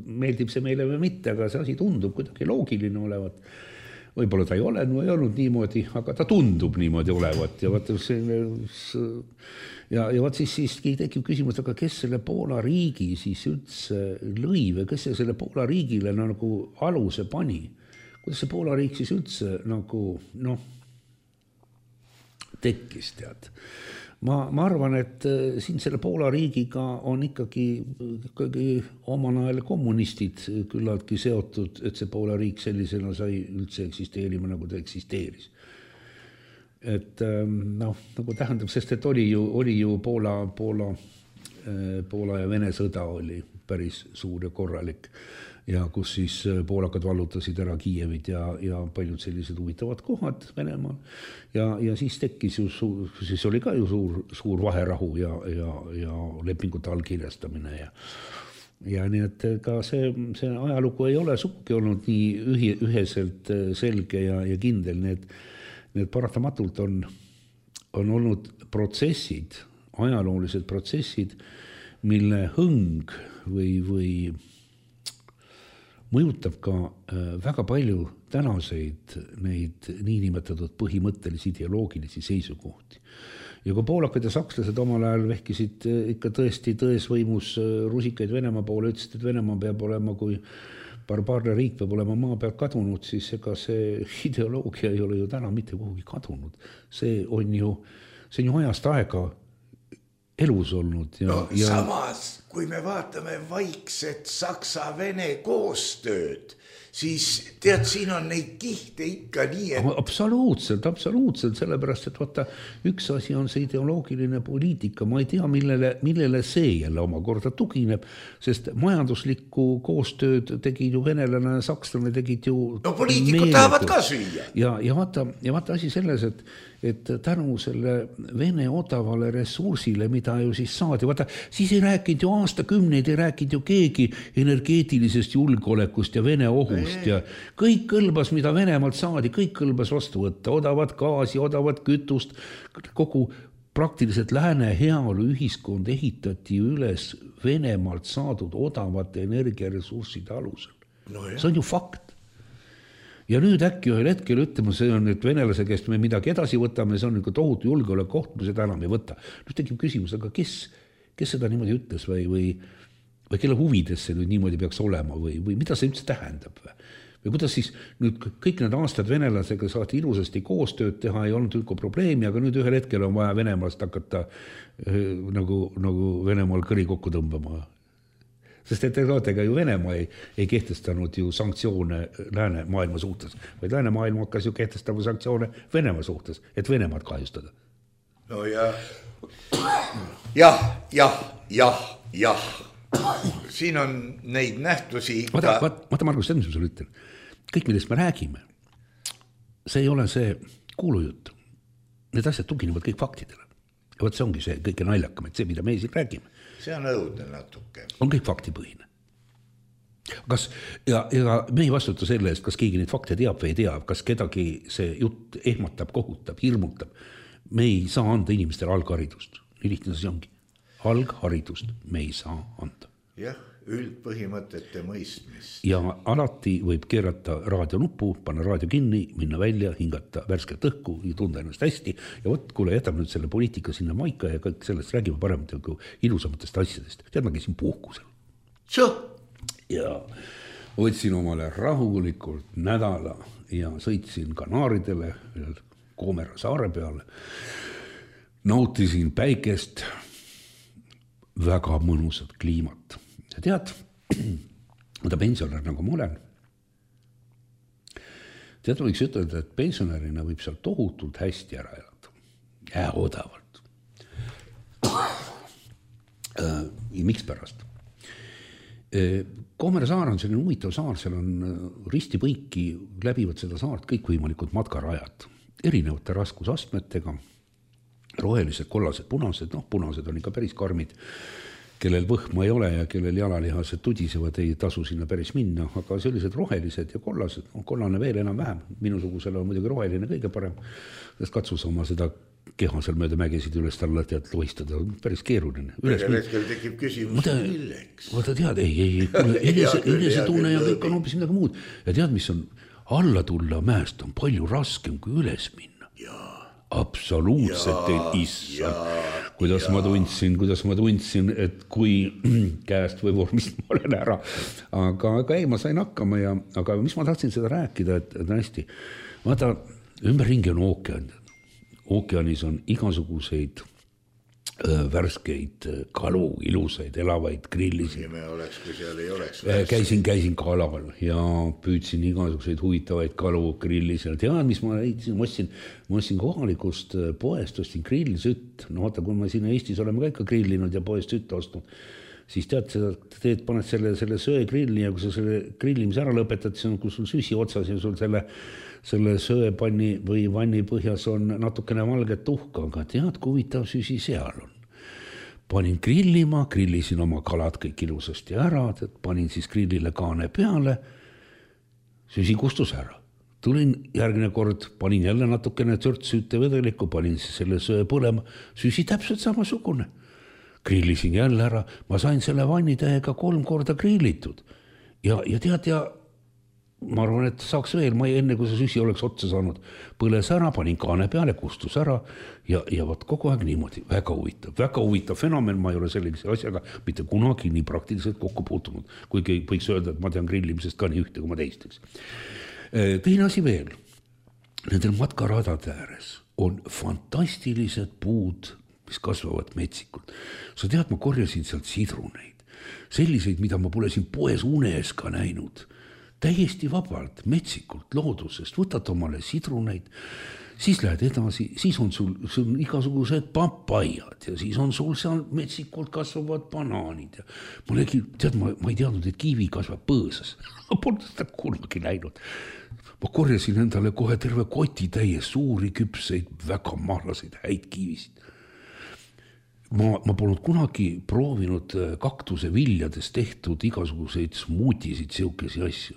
meeldib see meile või mitte, aga see asi tundub kuidagi loogiline olevat. Võib-olla ta ei olnud niimoodi, aga ta tundub niimoodi olevat ja vaat siis tekib küsimus, aga kes selle Poola riigi siis üldse lõi või kes selle Poola riigile nagu aluse pani? Kuidas see Poola riik siis üldse nagu, tekkis, tead. Ma arvan, et siin selle Poola riigiga on ikkagi omal ajal kommunistid küllaltki seotud, et see Poola riik sellisena sai üldse eksisteerima, nagu ta eksisteeris. Et nagu tähendab, sest et oli ju Poola ja Vene sõda oli päris suur ja korralik. Ja kus siis poolakad vallutasid ära Kiievit ja paljud sellised huvitavad kohad Venemaal. Ja siis tekkis siis oli ka ju suur vaherahu ja lepingute allkirjastamine. Ja nii, et ka see ajalugu ei ole sugugi olnud nii üheselt selge ja kindel. Need paratamatult on olnud protsessid, ajaloolised protsessid, mille hõng või mõjutab ka väga palju tänaseid neid niinimetatud põhimõttelisi ideoloogilisi seisukohti. Ja kui poolakad ja sakslased omal ajal vehkisid ikka tõesti tõesvõimus rusikaid Venemaa poole, ütlesid, et Venemaa peab olema kui barbaarne riik peab olema maa pealt kadunud, siis ega see ideoloogia ei ole ju täna mitte kuhugi kadunud. See on ju ajast aega elus olnud. Samas, kui me vaatame vaikset Saksa-Vene koostööd, siis tead, siin on neid kihte ikka nii, et... Absoluutselt, sellepärast, et vaata, üks asi on see ideoloogiline poliitika, ma ei tea, millele see jälle omakorda tugineb, sest majanduslikku koostööd tegid ju venelane ja sakslane tegid ju... No poliitikud tahavad ka süüa. Ja vaata asi selles, et tänu selle Vene odavale ressursile, mida ju siis saadi, vaata, siis ei rääkinud ju aastakümneid, ei rääkinud ju keegi energeetilisest julgeolekust ja Vene ohust ja kõik kõlbas, mida Venemaalt saadi, kõik kõlbas vastu võtta, odavat gaasi, odavat kütust, kogu praktiliselt lääne heaolu ühiskond ehitati üles Venemaalt saadud odavate energiaressursside alusel. See on ju fakt. Ja nüüd äkki ühel hetkel ütlema, see on nüüd venelase käest me midagi edasi võtame, see on tohutu julgeolekuoht, me seda enam ei võta. Nüüd tekib küsimus, aga kes seda niimoodi ütles või kelle huvides see nüüd niimoodi peaks olema või mida see üldse tähendab või kuidas siis nüüd kõik need aastad venelasega saati ilusasti koostööd teha, ei olnud üldse probleemi, aga nüüd ühel hetkel on vaja Venemaast hakata nagu Venemaal kõri kokku tõmbama. Sest et ega ju Venemaa ei kehtestanud ju sanktsioone lääne maailma suhtes, vaid lääne maailma hakkas ju kehtestama sanktsioone Venemaa suhtes, et Venemaad kahjustada. No jah. Siin on neid nähtusi ikka... Vaata Margus, see on, mis ma sulle ütlen. Kõik, millest me räägime, see ei ole see kuulujutt. Need asjad tuginevad kõik faktidele. Ja võt see ongi see kõige naljakam, et see, mida me siin räägime. See on õudne natuke. On kõik faktipõhine. Ja me ei vastuta selle eest, kas keegi neid fakte teab või ei tea, kas kedagi see jutt ehmatab, kohutab, hirmutab. Me ei saa anda inimestele algharidust. Nii lihtne see ongi. Algharidust me ei saa anda. Jah, üldpõhimõtete mõistmist. Ja alati võib keerata raadionuppu, panna raadio kinni, minna välja, hingata värsket õhku ja tunda ennast hästi. Ja võt, kuule, jätab nüüd selle poliitika sinna maika ja kõik sellest räägime paremalt ilusamatest asjadest. Tead, ma käisin puhkusel. Ja võtsin omale rahulikult nädala ja sõitsin Kanaaridele, Koomera saare peale. Nautisin päikest, väga mõnusat kliimat. Ja tead, mida pensionär nagu ma olen. Tead, võiks ütelda, et pensionärina võib seal tohutult hästi ära elada. Ja odavalt. Ja miks pärast? Koomere saar on selline huvitav saar, seal on ristipõiki, läbivad seda saart kõikvõimalikud matkarajad. Erinevate raskusastmetega, rohelised, kollased, punased, punased on ikka päris karmid, kellel võhma ei ole ja kellel jalalihased tudisevad, ei tasu sinna päris minna, aga sellised rohelised ja kollased, kollane veel enam vähem, minusugusele on muidugi roheline kõige parem, sest katsus oma seda keha seal mööda mägesid üles alla tead loistada, päris keeruline. Ühel hetkel tekib küsimus, milleks? Vaata tead, enesetunne ja kõik on hoopis midagi muud. Ja tead, mis on alla tulla mäest on palju raskem kui üles minna. Absoluutselt ei issa. Kuidas ma tundsin, et kui käest või vormist ma olen ära. Aga ei, ma sain hakkama aga mis ma tahtsin seda rääkida, et hästi. Vaata, ümberringi on ookean. Ookeanis on igasuguseid värskeid kalu, ilusaid, elavaid grillisi. Me oleks, kui seal ei oleks. Käisin kalal ja püüdsin igasuguseid huvitavaid kalu grillisi. Tead, mis ma leidsin? Ma ostsin kohalikust poest, ostsin grillisütt. No vaata, kui me siin Eestis oleme ka ikka grillinud ja poest sütt ostnud, siis tead, paned selle söe grilli ja kui sa selle grillimise ära lõpetad, siis on, kui sul süsi otsas ja sul selle söepanni või vanni põhjas on natukene valget tuhka, aga tead, kui huvitav süsi seal on. Panin grillima, grillisin oma kalad kõik ilusasti ära, panin siis grillile kaane peale, süsi kustus ära. Tulin järgmine kord, panin jälle natukene süüte vedelikku, panin selle söe põlema, süsi täpselt samasugune. Grillisin jälle ära, ma sain selle vannitähega 3 korda grillitud. Ja tead, ma arvan, et saaks veel, enne kui see süsi oleks otsa saanud, põles ära, panin kaane peale, kustus ära ja võt kogu aeg niimoodi. Väga huvitav fenomen, ma ei ole sellise asjaga mitte kunagi nii praktiliselt kokku puutunud, kuigi võiks öelda, et ma tean grillimisest ka nii ühte kui ma teisteks. Teine asi veel, nendel matkaradade ääres on fantastilised puud, mis kasvavad metsikult. Sa tead, ma korjasin sealt sidruneid, selliseid, mida ma pole siin poes unes ka näinud. Täiesti vabalt, metsikult, loodusest, võtad omale sidruneid, siis lähed edasi, siis on sul igasugused papaiad ja siis on sul seal metsikult kasvavad banaanid. Ma ei teadnud, et kiivi kasvab põõsas. Ma pole seda kunagi näinud. Ma korjasin endale kohe terve koti täies suuri küpseid, väga mahlaseid häid kiivisid. Ma polnud kunagi proovinud kaktuse viljadest tehtud igasuguseid smuutisid, siukesi asju.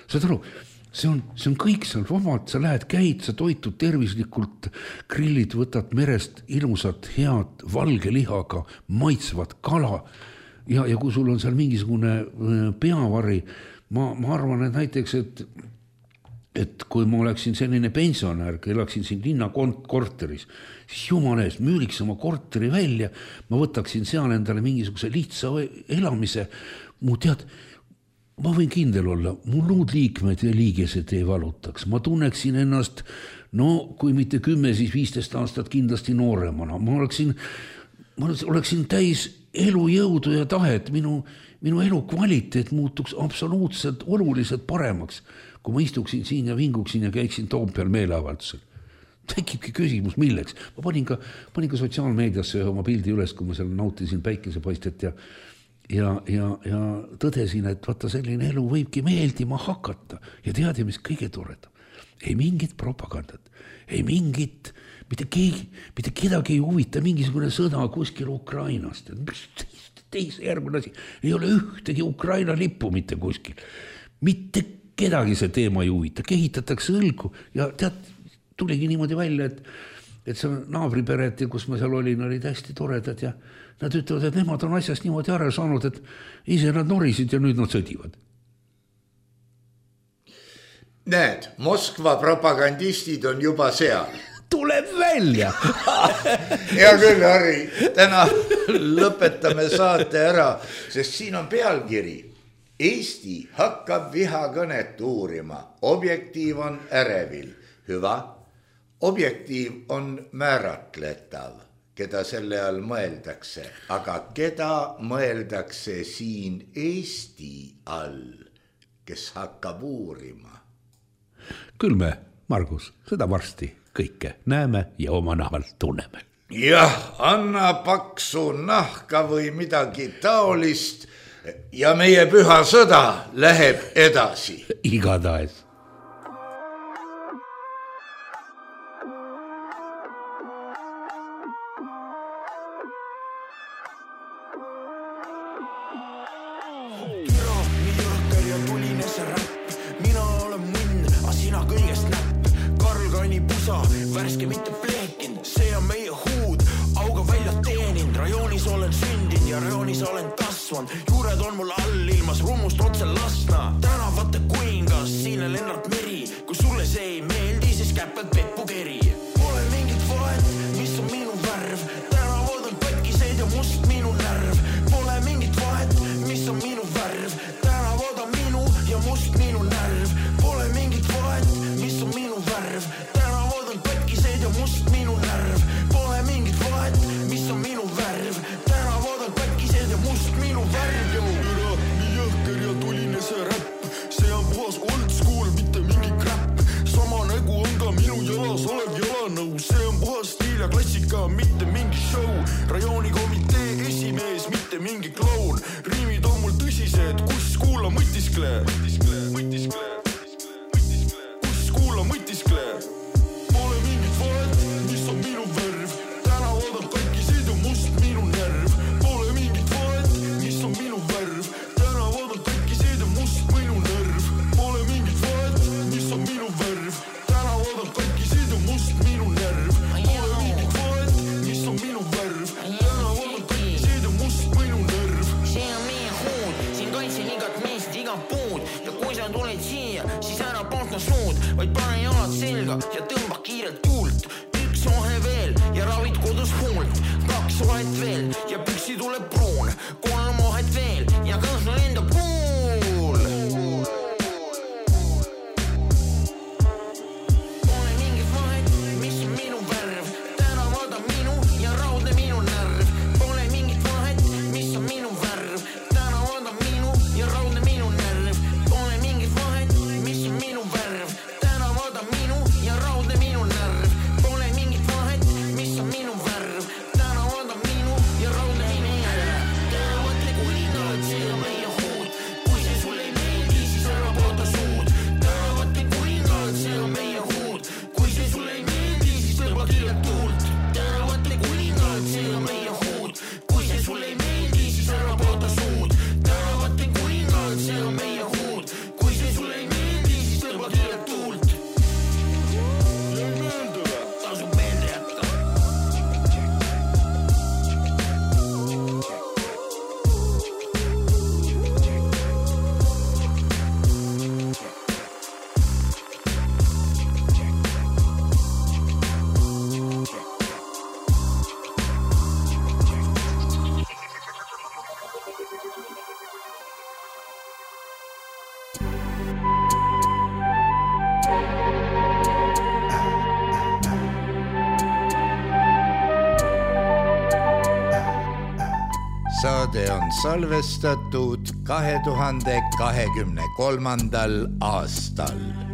Saad aru, see on kõik seal vabalt, sa lähed, käid, sa toitud tervislikult, grillid, võtad merest ilusat, head, valge lihaga, maitsvat kala ja kui sul on seal mingisugune peavari, ma arvan, et näiteks, et kui ma oleksin selline pensionär, elaksin siin linna korteris, siis jumala eest müüriks oma korteri välja, ma võtaksin seal endale mingisuguse lihtsa elamise, ma võin kindel olla, mu luudliikmed ja liigesed ei valutaks, ma tunneksin ennast, kui mitte 10, siis 15 aastat kindlasti nooremana, ma oleksin täis elujõudu ja tahet, minu elu kvaliteet muutuks absoluutselt oluliselt paremaks, kui ma istuksin siin ja vinguksin ja käiksin Toompeal meeleavaldusel. Tekibki küsimus, milleks. Ma panin ka sotsiaalmeediasse oma pildi üles, kui ma seal nautisin päikesepaistet ja tõdesin, et vaata selline elu võibki meeldima hakata ja tead, mis kõige toredam. Ei mingit propagandat, ei mingit, mitte kedagi ei huvita mingisugune sõda kuskil Ukrainast. Järgmine asi, ei ole ühtegi Ukraina lippu mitte kuskil. Mitte kedagi see teema ei huvita, kehitatakse õlgu ja tead, tuligi niimoodi välja, et see naabripered, kus ma seal olin, olid hästi toredad ja nad ütlevad, et nemad on asjast niimoodi ära saanud, et ise nad norisid ja nüüd nad sõdivad. Näed, Moskva propagandistid on juba seal. Tuleb välja. Hea küll, Harri, täna lõpetame saate ära, sest siin on pealkiri. Eesti hakkab vihakõnet uurima. Objektiiv on ärevil. Hyvä. Objektiiv on määratletav, keda selle all mõeldakse. Aga keda mõeldakse siin Eesti all, kes hakkab uurima? Küll me, Margus, seda varsti kõike näeme ja oma nahal tunneme. Jah, anna paksu nahka või midagi taolist ja meie püha sõda läheb edasi. Igatahes. Värske mitte pleekin, see on meie huud, auga välja teenin, rajoonis olen sündinud ja rajoonis olen kasvanud, juured on mul all ilmas rummust otse Lasna, tänavate kuningas, siin on Lennart Meri, kui sulle see ei meeldi, siis käpped Peppu Keri. Pole mingit vahet, mis on minu värv, tänavad on katkised ja must minu närv, pole mingit vahet, mis on minu värv, tänavad on minu ja must minu närv, pole mingit vahet, mis on minu värv, ja must minu närv, pole mingit vahet, mis on minu värv, tänavad on katkised ja must minu värv. Üra, nii jõhker ja tuline see räpp, see on puhas old school, mitte mingi crap, sama nägu on ka minu jalas olev jalanõu, see on puhas stiil ja klassika, mitte mingi show, rajooni komitee esimees, mitte mingi kloun, riimid on mul tõsised, kus kuula mõtiskle, kus kuula mõtiskle. Vaid pane jalad selga ja tõmba kiirelt tuult. Üks vahe veel ja ravid kodus huult. 2 vahet veel ja püksi tuleb pruun. 3 vahet veel ja kõnsla lendab kuul. Pole mingit vahet, mis on minu värv. Tänavad on minu ja raudne minu närv. Pole mingit vahet, mis on minu värv. Tänavad on minu ja raudne minu närv. Pole mingit vahet, mis on minu värv. Minu ja raudne minu närv, pole mingit vahet, mis on minu värv, tänavad on minu ja raudne minu närv. Saade on salvestatud 2023. aastal.